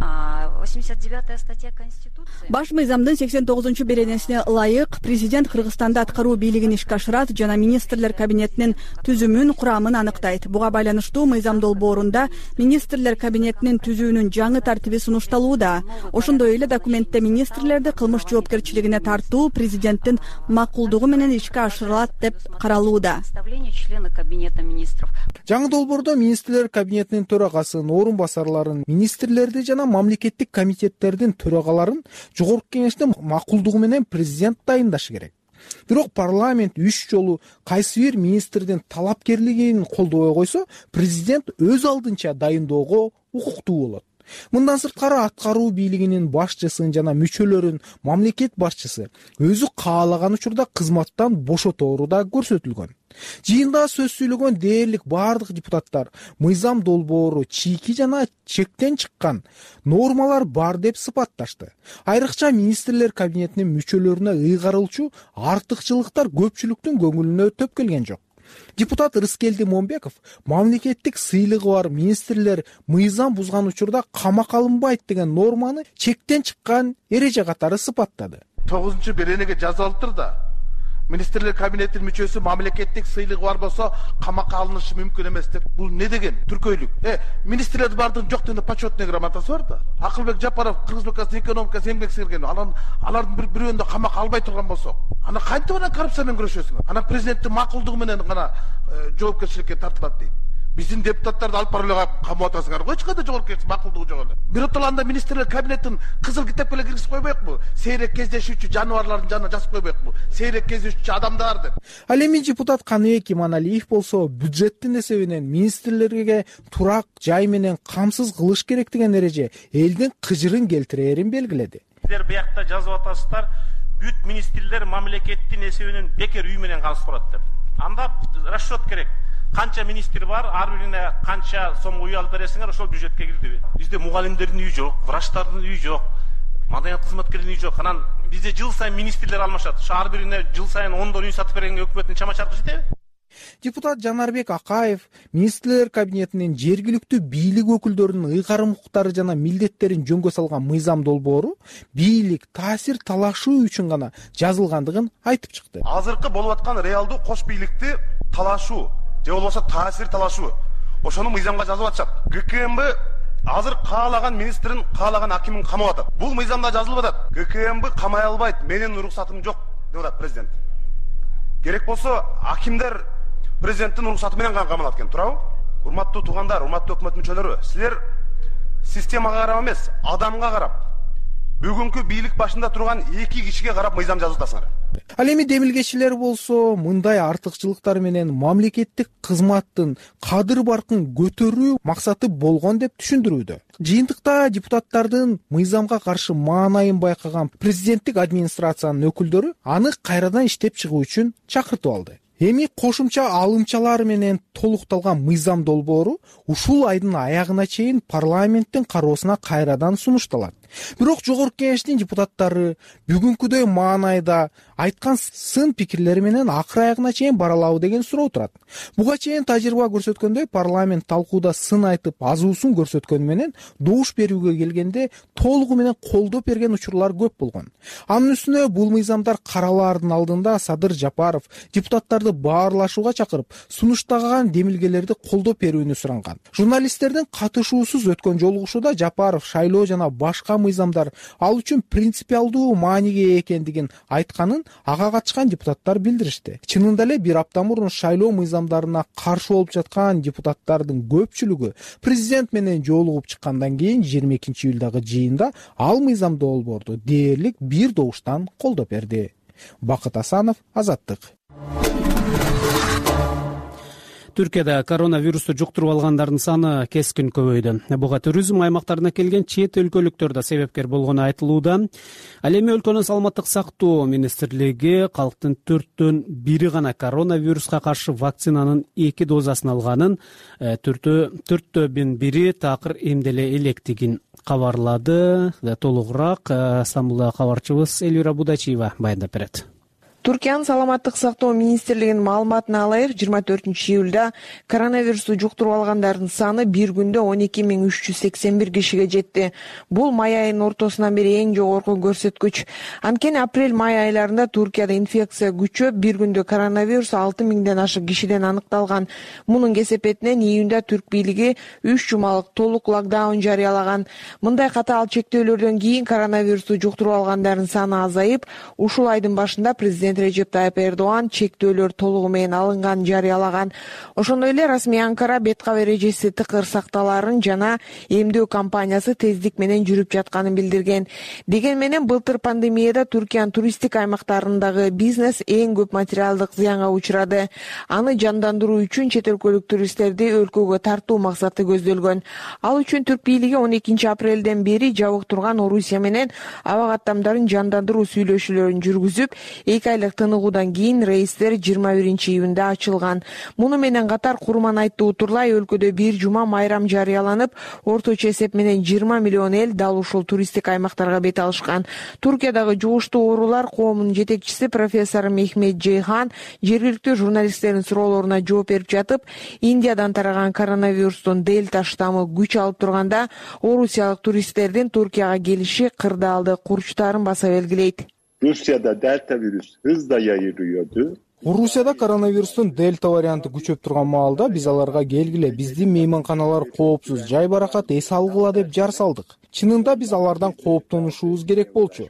S8: восемьдесят девятая статья Конституции. Баш мыйзамдын сексен тогузунчу беренесине ылайык президент Кыргызстанда аткаруу бийлигин ишке ашырат жана министрлер кабинетинин түзүмүн, курамын аныктайт. Буга байланыштуу мыйзам долбоорунда министрлер кабинетинин түзүүнүн жаңы тартиби сунушталууда. Ошондой эле документте министрлерди кылмыш жоопкерчилигине тартуу президенттин макулдугу менен ишке ашырылат деп каралууда.
S7: Жаңы долбоордо министрлер кабинетинин төрагасын, орун басарларын, министрлерди жана мамлекеттик комитеттердин төрагаларын жогорку кеңештин макулдугу менен президент дайындашы керек. Бирок парламент үч жолу кайсы бир министрдин талапкерлигин колдобой койсо, президент өз алдынча дайындоого укуктуу болот. Мындан сырткары аткаруу бийлигинин башчысын жана мүчөлөрүн мамлекет башчысы өзү каалаган учурда кызматтан бошотору да көрсөтүлгөн. Жыйында сөз сүйлөгөн дээрлик бардык депутаттар мыйзам долбоору чийки жана чектен чыккан нормалар бар деп сыпатташты. Айрыкча министрлер кабинетинин мүчөлөрүнө ыйгарылчу артыкчылыктар көпчүлүктүн көңүлүнө төп келген жок. Депутат Рыскелди Момбеков мамлекеттик сыйлыгы бар министрлер мыйзам бузган учурда камакка алынбайт деген норманы чектен чыккан эреже катары сыпаттады.
S20: тогузунчу беренеге жазылыптыр да. Министрлер кабинетинин мүчөсү мамлекеттик сыйлыгы бар болсо камакка алынышы мүмкүн эмес деп. Бул не деген түркөйлүк? Э, министрлер бардын жок дегенде почетный грамотасы бар да. Акылбек Жапаров Кыргыз Республикасынын экономикасы эмгек сиңирген. Алар алардын бир бирөөнү камакка албай турган болсо, ана кантип анан коррупция менен күрөшөсүң? Ана президенттин макулдугу менен гана жоопкерчиликке тартылат дейт. Биздин депутаттарды алып барып эле камап атасыңар го, эч кандай жоопкерчилик макулдугу жок эле. Биротоланда министрлер кабинетин кызыл китепке эле киргизип койбойкпу? Сейрек кездешүүчү жаныбарлардын жанына жазып койбойкпу? Сейрек кездешүүчү адамдар деп.
S7: Ал эми депутат Каныбек Иманалиев болсо бюджеттин эсебинен министрлерге турак жай менен камсыз кылыш керек деген эреже элдин кыжырын келтирээрин белгиледи.
S4: Сиздер биякта жазып атасыздар, бүт министрлер мамлекеттин эсебинен бекер үй менен камсыз турат деп. Анда расчет керек. Канча министр бар, ар бирине канча сом үй алып бересиңер, ошол бюджетке кирдиби? Бизде мугалимдердин үйү жок, врачтардын үйү жок, маданият кызматкерлеринин үйү жок. Анан бизде жыл сайын министрлер алмашат. Ошо ар бирине жыл сайын ондон үй сатып бергенге өкмөттүн чама чаркы жетеби?
S7: Депутат Жанарбек Акаев министрлер кабинетинин жергиликтүү бийлик өкүлдөрүнүн ыйгарым укуктары жана милдеттерин жөнгө салган мыйзам долбоору бийлик таасир талашуу үчүн гана жазылгандыгын айтып чыкты.
S22: Азыркы болуп аткан реалдуу кош бийликти талашуу же болбосо таасир талашуу ошону мыйзамга жазып атышат. ГКМБ азыр каалаган министрин, каалаган акимин камап атат. Бул мыйзамда жазылып атат. ГКМБ камай албайт, менин уруксатым жок деп атат президент. Керек болсо акимдер президенттин уруксаты менен гана камалат экен, туурабы? Урматтуу туугандар, урматтуу өкмөт мүчөлөрү, силер системага карап эмес, адамга карап, бүгүнкү бийлик башында турган эки кишиге карап мыйзам жазып атасыңар.
S7: Ал эми демилгечилер болсо мындай артыкчылыктар менен мамлекеттик кызматтын кадыр баркын көтөрүү максаты болгон деп түшүндүрүүдө. Жыйынтыкта депутаттардын мыйзамга каршы маанайын байкаган президенттик администрациянын өкүлдөрү аны кайрадан иштеп чыгуу үчүн чакыртып алды. Эми кошумча алымчалар менен толукталган мыйзам долбоору ушул айдын аягына чейин парламенттин кароосуна кайрадан сунушталат. Бирок жогорку кеңештин депутаттары бүгүнкүдөй маанайда айткан сын пикирлери менен акыр аягына чейин баралабы деген суроо турат. Буга чейин тажрыйба көрсөткөндөй парламент талкууда сын айтып азуусун көрсөткөнү менен добуш берүүгө келгенде толугу менен колдоп берген учурлар көп болгон. Анын үстүнө бул мыйзамдар каралаардын алдында Садыр Жапаров депутаттарды баарлашууга чакырып, сунуштаган демилгелерди колдоп берүүнү суранган. Журналисттердин катышуусуз өткөн жолугушууда Жапаров шайлоо жана башка мыйзамдар ал үчүн принципиалдуу мааниге экендигин айтканын ага катышкан депутаттар билдиришти. Чынында эле бир апта мурун шайлоо мыйзамдарына каршы болуп жаткан депутаттардын көпчүлүгү президент менен жолугуп чыккандан кийин жыйырма экинчи июлдагы жыйында ал мыйзам долбоорду дээрлик бир добуштан колдоп берди. Бакыт Асанов, Азаттык.
S2: Түркияда коронавирусту жуктуруп алгандардын саны кескин көбөйдү. Буга туризм аймактарына келген чет өлкөлүктөр да себепкер болгону айтылууда. Ал эми өлкөнүн саламаттык сактоо министрлиги калктын төрттөн бири гана коронавируска каршы вакцинанын эки дозасын алганын, төрттөн бири такыр эмделе электигин кабарлады. Толугураак Стамбулда кабарчыбыз Элвира Будачиева баяндап берет.
S21: Түркиянын саламаттык сактоо министрлигинин маалыматына ылайык, жыйырма төртүнчү июлда коронавирусту жуктуруп алгандардын саны бир күндө он эки миң үч жүз сексен бир кишиге жетти. Бул май айынын ортосунан бери эң жогорку көрсөткүч. Анткени апрель-май айларында Туркияда инфекция күчөп, бир күндө коронавирус алты миңден ашык кишиден аныкталган. Мунун кесепетинен июнда түрк бийлиги үч жумалык толук локдаун жарыялаган. Мындай катаал чектөөлөрдөн кийин коронавирусту жуктуруп алгандардын саны азайып, ушул айдын башында президент Режеп Тайып Эрдоган чектөөлөр толугу менен алынганын жарыялаган. Ошондой эле расмий Анкара бет кап эрежеси тыкыр сакталарын жана эмдөө кампаниясы тездик менен жүрүп жатканын билдирген. Деген менен былтыр пандемияда Түркиянын туристтик аймактарындагы бизнес эң көп материалдык зыянга учурады. Аны жандандыруу үчүн чет өлкөлүк туристтерди өлкөгө тартуу максаты көздөлгөн. Ал үчүн түрк бийлиги он экинчи апрелден бери жабык турган Орусия менен аба каттамдарын жандандыруу сүйлөшүүлөрүн жүргүзүп, эки айла айлык тыныгуудан кийин рейстер жыйырма биринчи июнда ачылган. Муну менен катар Курманайтты утурлай өлкөдө бир жума майрам жарыяланып, орточо эсеп менен жыйырма миллион эл дал ушул туристтик аймактарга бет алышкан. Туркиядагы жугуштуу оорулар коомунун жетекчиси профессор Мехмет Джейхан жергиликтүү журналисттердин суроолоруна жооп берип жатып, Индиядан тараган коронавирустун дельта штаммы күч алып турганда, орусиялык туристтердин Туркияга келиши кырдаалды курчтарын баса белгилейт.
S9: Rusya'da delta virüs hızla yayılıyordu.
S7: Орусияда коронавирустун дельта варианты күчөп турган маалда биз аларга келгиле, биздин мейманканалар коопсуз, жай баракат эс алгыла деп жар салдык. Чынында биз алардан кооптонушубуз керек болчу.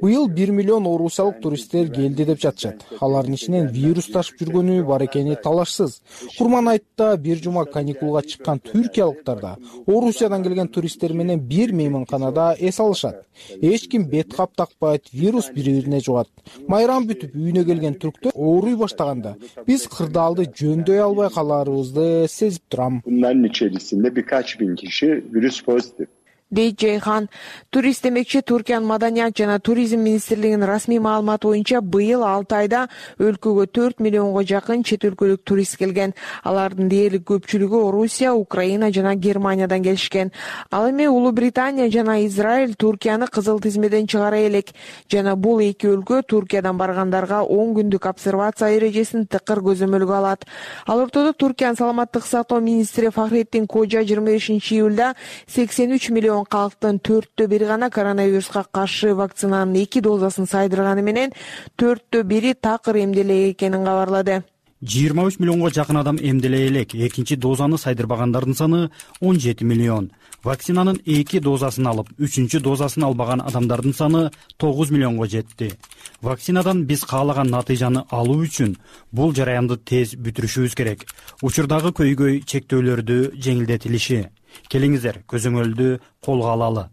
S7: Быйыл бир миллион орусиялык туристтер келди деп жатышат. Алардын ичинен вирус ташып жүргөнү бар экени талашсыз. Курманайтта бир жума каникулга чыккан түркиялыктар да Орусиядан келген туристтер менен бир мейманканада эс алышат. Эч ким бет кап такпайт, вирус бири-бирине жугат. Майрам бүтүп үйүнө келген түрктөр ооруй баштаганда биз кырдаалды жөндөй албай каларыбызды сезип турам.
S9: Bunların içerisinde birkaç bin kişi virüs pozitif.
S21: дейт Джейхан. Турист демекчи Туркиянын маданият жана туризм министрлигинин расмий маалыматы боюнча быйыл алты айда өлкөгө төрт миллионго жакын чет өлкөлүк турист келген. Алардын дээрлик көпчүлүгү Орусия, Украина жана Германиядан келишкен. Ал эми Улуу Британия жана Израиль Туркияны кызыл тизмеден чыгара элек жана бул эки өлкө Туркиядан баргандарга он күндүк обсервация эрежесин тыкыр көзөмөлгө алат. Ал ортодо Туркиянын саламаттык сактоо министри Фахреттин Кожа жыйырма бешинчи июлда сексен үч миллион калктын төрттө бири гана коронавируска каршы вакцинанын эки дозасын сайдырганы менен төрттө бири такыр эмделек экенин кабарлады.
S5: жыйырма үч миллионго жакын адам эмделе элек, экинчи дозаны сайдырбагандардын саны он жети миллион. Вакцинанын эки дозасын алып, үчүнчү дозасын албаган адамдардын саны тогуз миллионго жетти. Вакцинадан биз каалаган натыйжаны алуу үчүн бул жараянды тез бүтүрүшүбүз керек. Учурдагы көйгөй чектөөлөрдү жеңилдетилиши. Келиңиздер, көзөмөлдү колго алалы,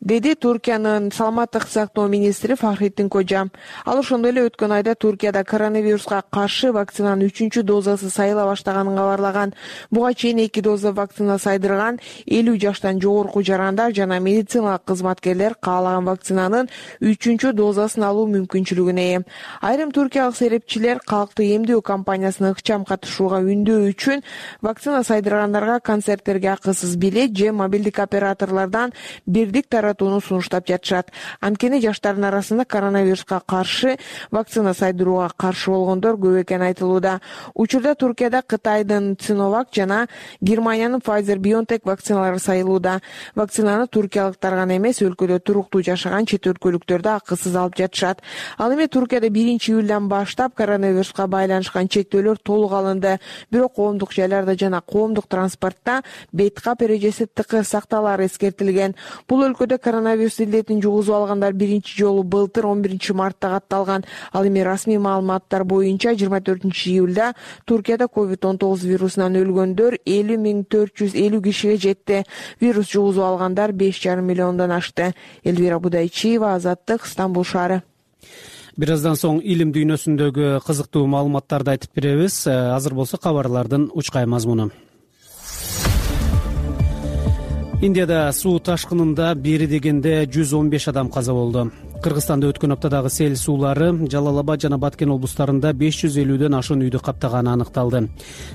S21: деди Туркиянын саламаттык сактоо министри Фахреттин Кожа. Ал ошондой эле өткөн айда Туркияда коронавируска каршы вакцинанын үчүнчү дозасы сайыла баштаганын кабарлаган. Буга чейин эки доза вакцина сайдырган элүү жаштан жогорку жарандар жана медициналык кызматкерлер каалаган вакцинанын үчүнчү дозасын алуу мүмкүнчүлүгүнө ээ. Айрым туркиялык серепчилер калкты эмдөө кампаниясына ыкчам катышууга үндөө үчүн вакцина сайдыргандарга концерттерге акысыз билет же мобилдик операторлордон бирдик таратууну сунуштап жатышат. Анткени жаштардын арасында коронавируска каршы вакцина сайдырууга каршы болгондор көп экени айтылууда. Учурда Туркияда Кытайдын Sinovac жана Германиянын Pfizer-BioNTech вакциналары сайылууда. Вакцинаны туркиялыктар гана эмес, өлкөдө туруктуу жашаган чет өлкөлүктөр да акысыз алып жатышат. Ал эми Туркияда биринчи июлдан баштап коронавируска байланышкан чектөөлөр толук алынды. Бирок коомдук жайларда жана коомдук транспортто бет кап эрежеси тыкыр сакталары эскертилген. Бул өлкөдө коронавирус илдетин жугузуп алгандар биринчи жолу былтыр он биринчи мартта катталган. Ал эми расмий маалыматтар боюнча жыйырма төртүнчү июлда Туркияда ковид он тогуз вирусунан өлгөндөр элүү миң төрт жүз элүү кишиге жетти. Вирус жугузуп алгандар беш жарым миллиондон ашты. Элвира Будайчиева, Азаттык, Стамбул шаары.
S2: Бир аздан соң илим дүйнөсүндөгү кызыктуу маалыматтарды айтып беребиз. Азыр болсо кабарлардын учкай мазмуну. Индияда суу ташкынында бери дегенде жүз он беш адам каза болду. Кыргызстанда өткөн аптадагы сел суулары Жалал-Абад жана Баткен облустарында беш жүз элүүдөн ашуун үйдү каптаганы аныкталды.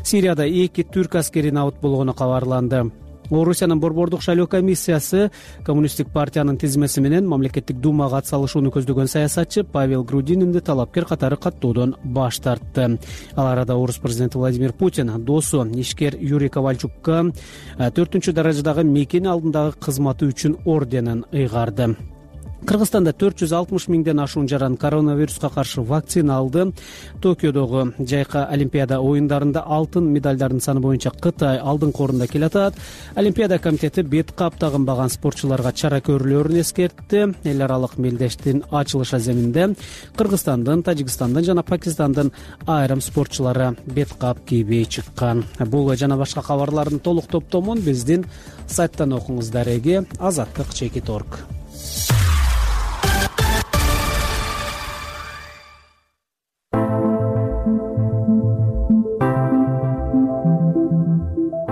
S2: Сирияда эки түрк аскери набыт болгону кабарланды. Орусиянын борбордук шайлоо комиссиясы Коммунисттик партиянын тизмеси менен мамлекеттик думага ат салышууну көздөгөн саясатчы Павел Грудининди талапкер катары каттоодон баш тартты. Ал арада орус президенти Владимир Путин досу ишкер Юрий Ковальчукка төртүнчү даражадагы мекени алдындагы кызматы үчүн орденин ыйгарды. Кыргызстанда төрт жүз алтымыш миңден ашуун жаран коронавируска каршы вакцина алды. Токиодогу жайкы Олимпиада оюндарында алтын медалдардын саны боюнча Кытай алдыңкы орунда келатат. Олимпиада комитети бет кап тагынбаган спортчуларга чара көрүлөрүн эскертти. Эл аралык мелдештин ачылыш аземинде Кыргызстандын, Тажикстандын жана Пакистандын айрым спортчулары бет кап кийбей чыккан. Бул жана башка кабарлардын толук топтомун биздин сайттан окуңуз. Дареги азаттык чекит орг.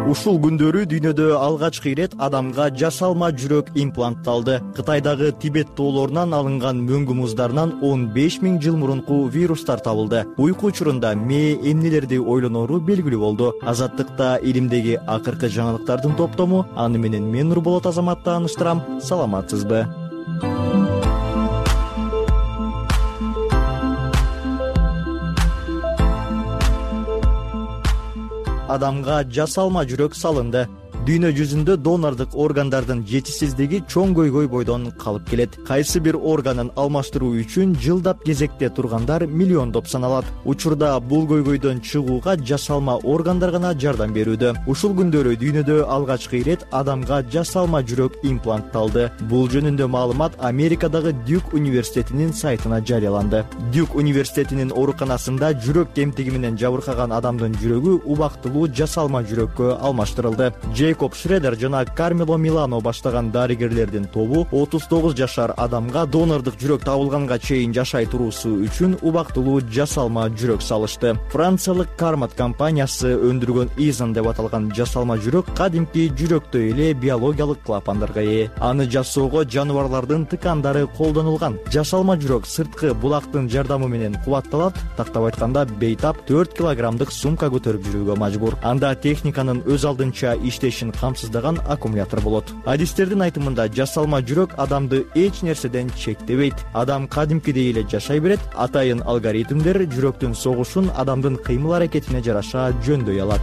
S10: Ушул күндөрү дүйнөдө алгачкы ирет адамга жасалма жүрөк имплантталды. Кытайдагы Тибет тоолорунан алынган мөңгү муздарынан он беш миң жыл мурунку вирустар табылды. Уйку учурунда мээ эмнелерди ойлонору белгилүү болду. Азаттыкта илимдеги акыркы жаңылыктардын топтому. Аны менен мен Нурболот Азамат тааныштырам. Саламатсызбы? Адамга жасалма жүрөк салынды. Дүйнө жүзүндө донордук органдардын жетишсиздиги чоң көйгөй бойдон калып келет. Кайсы бир органын алмаштыруу үчүн жылдап кезекте тургандар миллиондоп саналат. Учурда бул көйгөйдөн чыгууга жасалма органдар гана жардам берүүдө. Ушул күндөрү дүйнөдө алгачкы ирет адамга жасалма жүрөк имплантталды. Бул жөнүндө маалымат Америкадагы Дюк университетинин сайтына жарыяланды. Дюк университетинин ооруканасында жүрөк кемтиги менен жабыркаган адамдын жүрөгү убактылуу жасалма жүрөккө алмаштырылды. Джейкоб Шредер жана Кармело Милано баштаган дарыгерлердин тобу отуз тогуз жашар адамга донордук жүрөк табылганга чейин жашай туруусу үчүн убактылуу жасалма жүрөк салышты. Франциялык Кармат компаниясы өндүргөн Изон деп аталган жасалма жүрөк кадимки жүрөктөй эле биологиялык клапандарга ээ. Аны жасоого жаныбарлардын тыкандары колдонулган. Жасалма жүрөк сырткы булактын жардамы менен кубатталат, тактап айтканда бейтап төрт килограммдык сумка көтөрүп жүрүүгө мажбур. Анда техниканын өз алдынча иштешин камсыздаган аккумулятор болот. Адистердин айтымында жасалма жүрөк адамды эч нерседен чектебейт. Адам кадимкидей эле жашай берет. Атайын алгоритмдер жүрөктүн согушун адамдын кыймыл аракетине жараша жөндөй алат.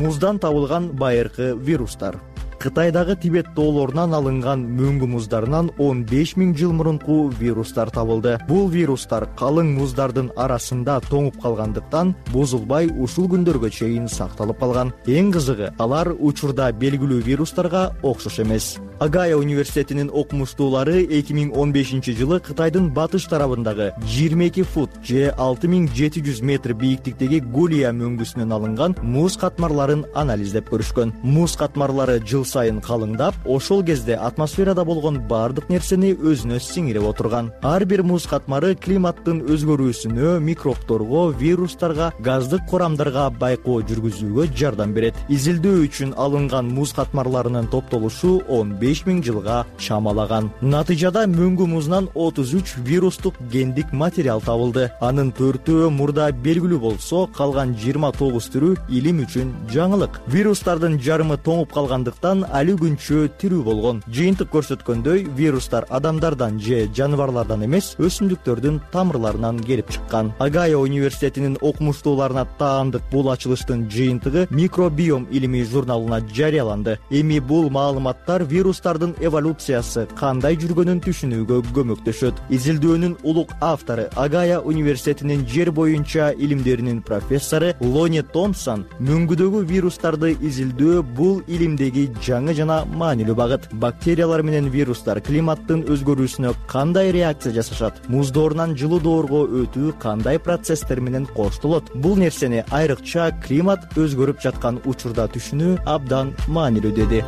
S10: Муздан табылган байыркы вирустар. Кытайдагы Тибет тоолорунан алынган мөңгү муздарынан он беш миң жыл мурунку вирустар табылды. Бул вирустар калың муздардын арасында тоңуп калгандыктан бузулбай ушул күндөргө чейин сакталып калган. Эң кызыгы, алар учурда белгилүү вирустарга окшош эмес. Агая университетинин окумуштуулары эки миң он бешинчи жылы Кытайдын батыш тарабындагы жыйырма эки фут же алты миң жети жүз метр бийиктиктеги Гулия мөңгүсүнөн алынган муз катмарларын анализдеп көрүшкөн. Муз катмарлары жыл сайын калыңдап, ошол кезде атмосферада болгон бардык нерсени өзүнө сиңирип отурган. Ар бир муз катмары климаттын өзгөрүүсүнө, микробторго, вирустарга, газдык курамдарга байкоо жүргүзүүгө жардам берет. Изилдөө үчүн алынган муз катмарларынын топтолушу он беш миң жылга чамалаган. Натыйжада мөңгү музунан отуз үч вирустук гендик материал табылды. Анын төртөө мурда белгилүү болсо, калган жыйырма тогуз түрү илим үчүн жаңылык. Вирустардын жарымы тоңуп калгандыктан али күнчө тирүү болгон. Жыйынтык көрсөткөндөй, вирустар адамдардан же жаныбарлардан эмес, өсүмдүктөрдүн тамырларынан келип чыккан. Агая университетинин окумуштууларына таандык бул ачылыштын жыйынтыгы Микробиом илимий журналына жарыяланды. Эми бул маалыматтар вирустардын эволюциясы кандай жүргөнүн түшүнүүгө көмөктөшөт. Изилдөөнүн улук автору Агая университетинин жер боюнча илимдеринин профессору Лони Томпсон мөңгүдөгү вирустарды изилдөө бул илимдеги жаңы жана маанилүү багыт. Бактериялар менен вирустар климаттын өзгөрүүсүнө кандай реакция жасашат? Муздоорунан жылуудоорго өтүү кандай процесстер менен коштолот? Бул нерсени айрыкча климат өзгөрүп жаткан учурда түшүнүү абдан маанилүү деди.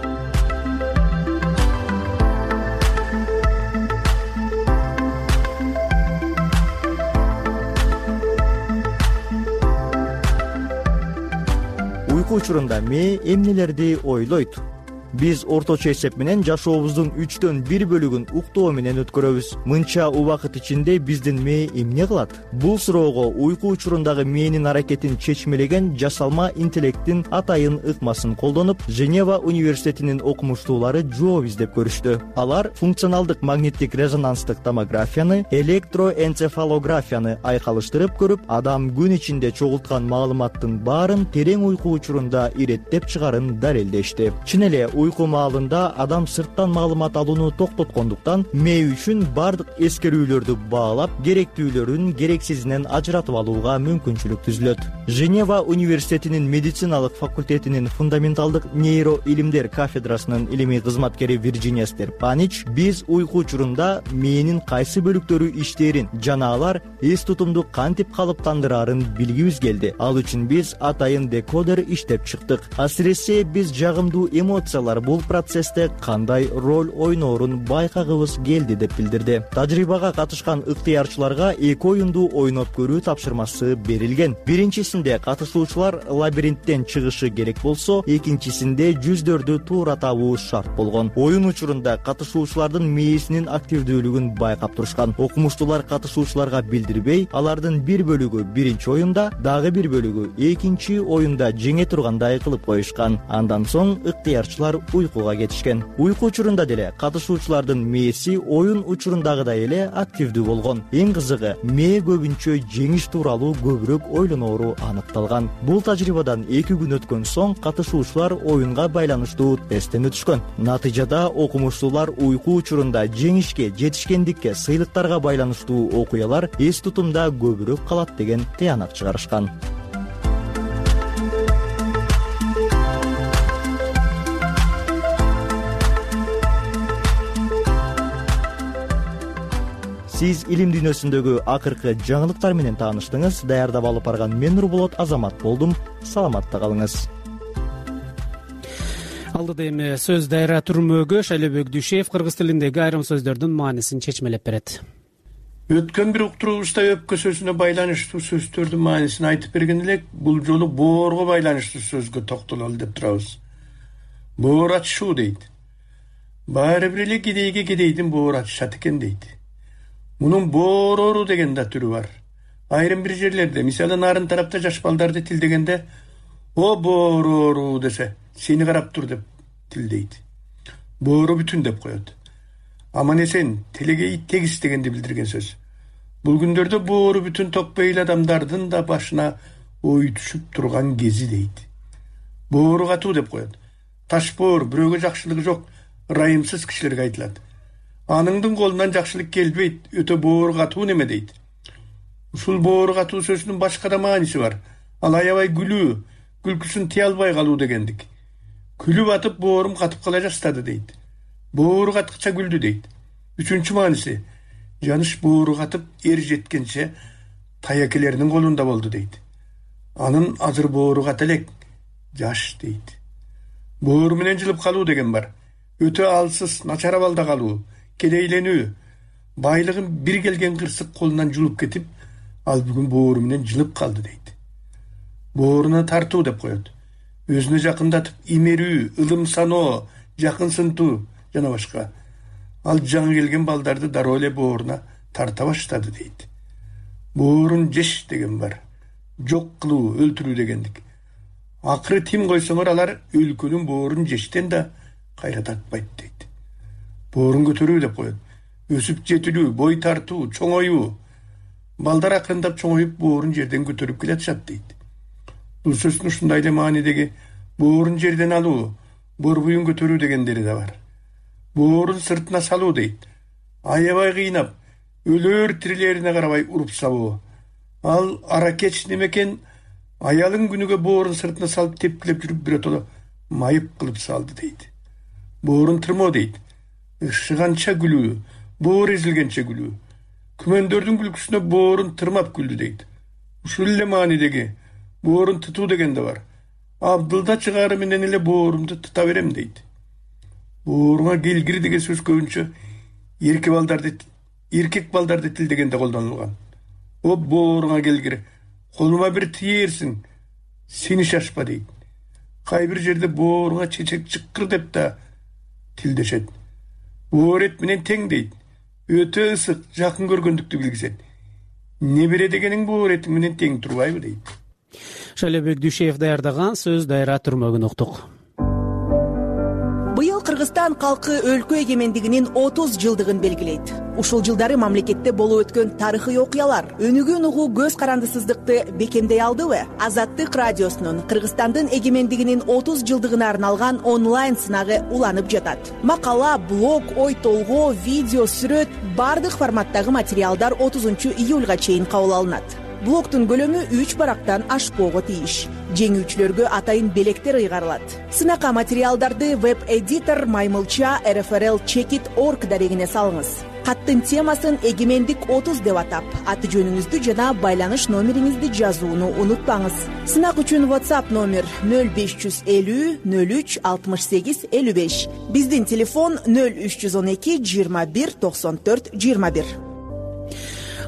S10: Уйку учурунда мээ эмнелерди ойлойт? Биз орточо эсеп менен жашообуздун үчтөн бир бөлүгүн уктоо менен өткөрөбүз. Мынча убакыт ичинде биздин мээ эмне кылат? Бул суроого уйку учурундагы мээнин аракетин чечмелеген жасалма интеллекттин атайын ыкмасын колдонуп, Женева университетинин окумуштуулары жооп издеп көрүштү. Алар функционалдык магниттик резонанстык томографияны, электроэнцефалографияны айкалыштырып көрүп, адам күн ичинде чогулткан маалыматтын баарын терең уйку учурунда иреттеп чыгарын далилдешти. Чын эле уйку маалында адам сырттан маалымат алууну токтоткондуктан мээ үчүн бардык эскерүүлөрдү баалап, керектүүлөрүн керексизинен ажыратып алууга мүмкүнчүлүк түзүлөт. Женева университетинин медициналык факультетинин фундаменталдык нейроилимдер кафедрасынын илимий кызматкери Вирджиния Стерпанич биз уйку учурунда мээнин кайсы бөлүктөрү иштээрин жана алар эс тутумду кантип калыптандырарын билгибиз келди. Ал үчүн биз атайын декодер иштеп чыктык. Асиресе биз жагымдуу эмоциялар окуучулар бул процессте кандай роль ойноорун байкагыбыз келди деп билдирди. Тажрыйбага катышкан ыктыярчыларга эки оюнду ойноп көрүү тапшырмасы берилген. Биринчисинде катышуучулар лабиринттен чыгышы керек болсо, экинчисинде жүздөрдү туура табуу шарт болгон. Оюн учурунда катышуучулардын мээсинин активдүүлүгүн байкап турушкан. Окумуштуулар катышуучуларга билдирбей, алардын бир бөлүгү биринчи оюнда, дагы бир бөлүгү экинчи оюнда жеңе тургандай кылып коюшкан. Андан соң ыктыярчылар уйкуга кетишкен. Уйку учурунда деле катышуучулардын мээси оюн учурундагыдай эле активдүү болгон. Эң кызыгы, мээ көбүнчө жеңиш тууралуу көбүрөөк ойлоноору аныкталган. Бул тажрыйбадан эки күн өткөн соң катышуучулар оюнга байланыштуу тесттен өтүшкөн. Натыйжада окумуштуулар уйку учурунда жеңишке, жетишкендикке, сыйлыктарга байланыштуу окуялар эс тутумда көбүрөөк калат деген тыянак чыгарышкан. Сиз илим дүйнөсүндөгү акыркы жаңылыктар менен тааныштыңыз. Даярдап алып барган мен Нурболот Азамат болдум. Саламатта калыңыз.
S2: Алдыда эми сөз дайра түрмөгү Шайлебек Дүйшеев кыргыз тилиндеги айрым сөздөрдүн маанисин чечмелеп берет.
S11: Өткөн бир уктуруубузда өпкө сөзүнө байланыштуу сөздөрдүн маанисин айтып берген элек, бул жолу боорго байланыштуу сөзгө токтололу деп турабыз. Боор ачышуу дейт. Баары бир эле кедейге кедейдин боор ачышат экен дейт. Мунун боорору деген да түрү бар. Айрым бир жерлерде, мисалы нарын тарапта жаш балдарды тилдегенде, о боорору десе, сени карап тур деп тилдейт. Боору бүтүн деп коет. Аман эсен, телегей тегиз дегенди билдирген сөз. Бул күндөрдө боору бүтүн токпейл адамдардын да башына ой түшүп турган кези дейт. Боору катуу деп коет. Таш боор бирөөгө жакшылыгы жок, ырайымсыз кишилерге айтылат. Аныңдын колунан жакшылык келбейт, өтө боору катуу неме дейт. Ушул боору катуу сөзүнүн башка да мааниси бар. Ал аябай күлүү, күлкүсүн тыя албай калуу дегендик. Күлүп атып боорум катып кала жастады дейт. Боору каткыча күлдү дейт. Үчүнчү мааниси, жаныш боору катып эр жеткенче таякелеринин колунда болду дейт. Анын азыр боору ката элек, жаш дейт. Боору менен жылып калуу деген бар. Өтө алсыз, начар абалда калуу, кедейленүү, байлыгын бир келген кырсык колунан жулуп кетип, ал бүгүн боору менен жылып калды дейт. Бооруна тартуу деп коет. Өзүнө жакындатып имерүү, ылым саноо, жакынсынтуу жана башка. Ал жаңы келген балдарды дароо эле бооруна тарта баштады дейт. Боорун жеш деген бар. Жок кылуу, өлтүрүү дегендик. Акыры тим койсоңор алар өлкөнүн боорун жештен да кайра тартпайт дейт. Боорун көтөрүү деп коет. Өсүп жетилүү, бой тартуу, чоңоюу. Балдар акырындап чоңоюп боорун жерден көтөрүп келатышат дейт. Бул сөздүн ушундай эле маанидеги боорун жерден алуу, борбуюн көтөрүү дегендери да бар. Боорун сыртына салуу дейт. Аябай кыйнап, өлөр тирилерине карабай уруп сабоо. Ал аракеч немекен, аялын күнүгө боорун сыртына салып тепкилеп жүрүп биротоло майып кылып салды дейт. Боорун тырмоо дейт. Ышыганча күлүү, боор эзилгенче күлүү. Күмөндөрдүн күлкүсүнө боорун тырмап күлдү дейт. Ушул эле маанидеги боорун тытуу деген да бар. Абдылда чыгаары менен эле боорумду тута берем дейт. Бооруңа келгир деген сөз көбүнчө эркек балдарды эркек балдарды тилдегенде колдонулган. О бооруңа келгир, колума бир тиерсиң, сени шашпа дейт. Кай бир жерде бооруңа чечек чыккыр деп да тилдешет. Боор эт менен тең дейт. Өтө ысык, жакын көргөндүктү билгизет. Небере дегениң боор эти менен тең турбайбы дейт.
S2: Шайлебек Дүйшеев даярдаган сөз дайра түрмөгүн уктук.
S12: Быйыл Кыргызстан калкы өлкө эгемендигинин отуз жылдыгын белгилейт. Ушул жылдары мамлекетте болуп өткөн тарыхый окуялар өнүгүүн угуу көз карандысыздыкты бекемдей алдыбы? Азаттык радиосунун Кыргызстандын эгемендигинин отуз жылдыгына арналган онлайн сынагы уланып жатат. Макала, блог, ой толгоо, видео, сүрөт бардык форматтагы материалдар отузунчу июлга чейин кабыл алынат. Блогтун көлөмү үч барактан ашпоого тийиш. Жеңүүчүлөргө атайын белектер ыйгарылат. Сынакка материалдарды веб-эдитор Маймылча эр эф эр эл чекит точка орг дарегине салыңыз. Каттын темасын эгемендик отуз деп атап, аты жөнүңүздү жана байланыш номериңизди жазууну унутпаңыз. Сынак үчүн WhatsApp номер нөл беш жүз элүү нөл үч алтымыш сегиз элүү беш. Биздин телефон нөл үч жүз он эки жыйырма бир токсон төрт жыйырма бир.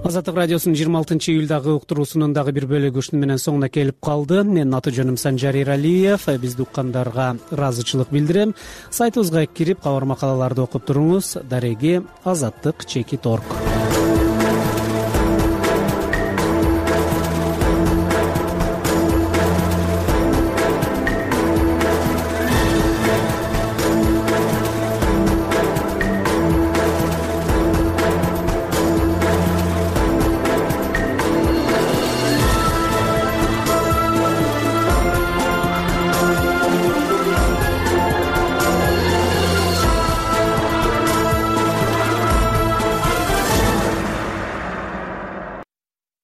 S2: Азаттык радиосунун жыйырма алтынчы июлдагы уктуруусунун дагы бир бөлүгү ушуну менен соңуна келип калды. Менин аты жөнүм Санжар Эралиев. Бизди уккандарга ыраазычылык билдирем. Сайтыбызга кирип, кабар макалаларды окуп туруңуз. Дареги азаттык чекит точка орг.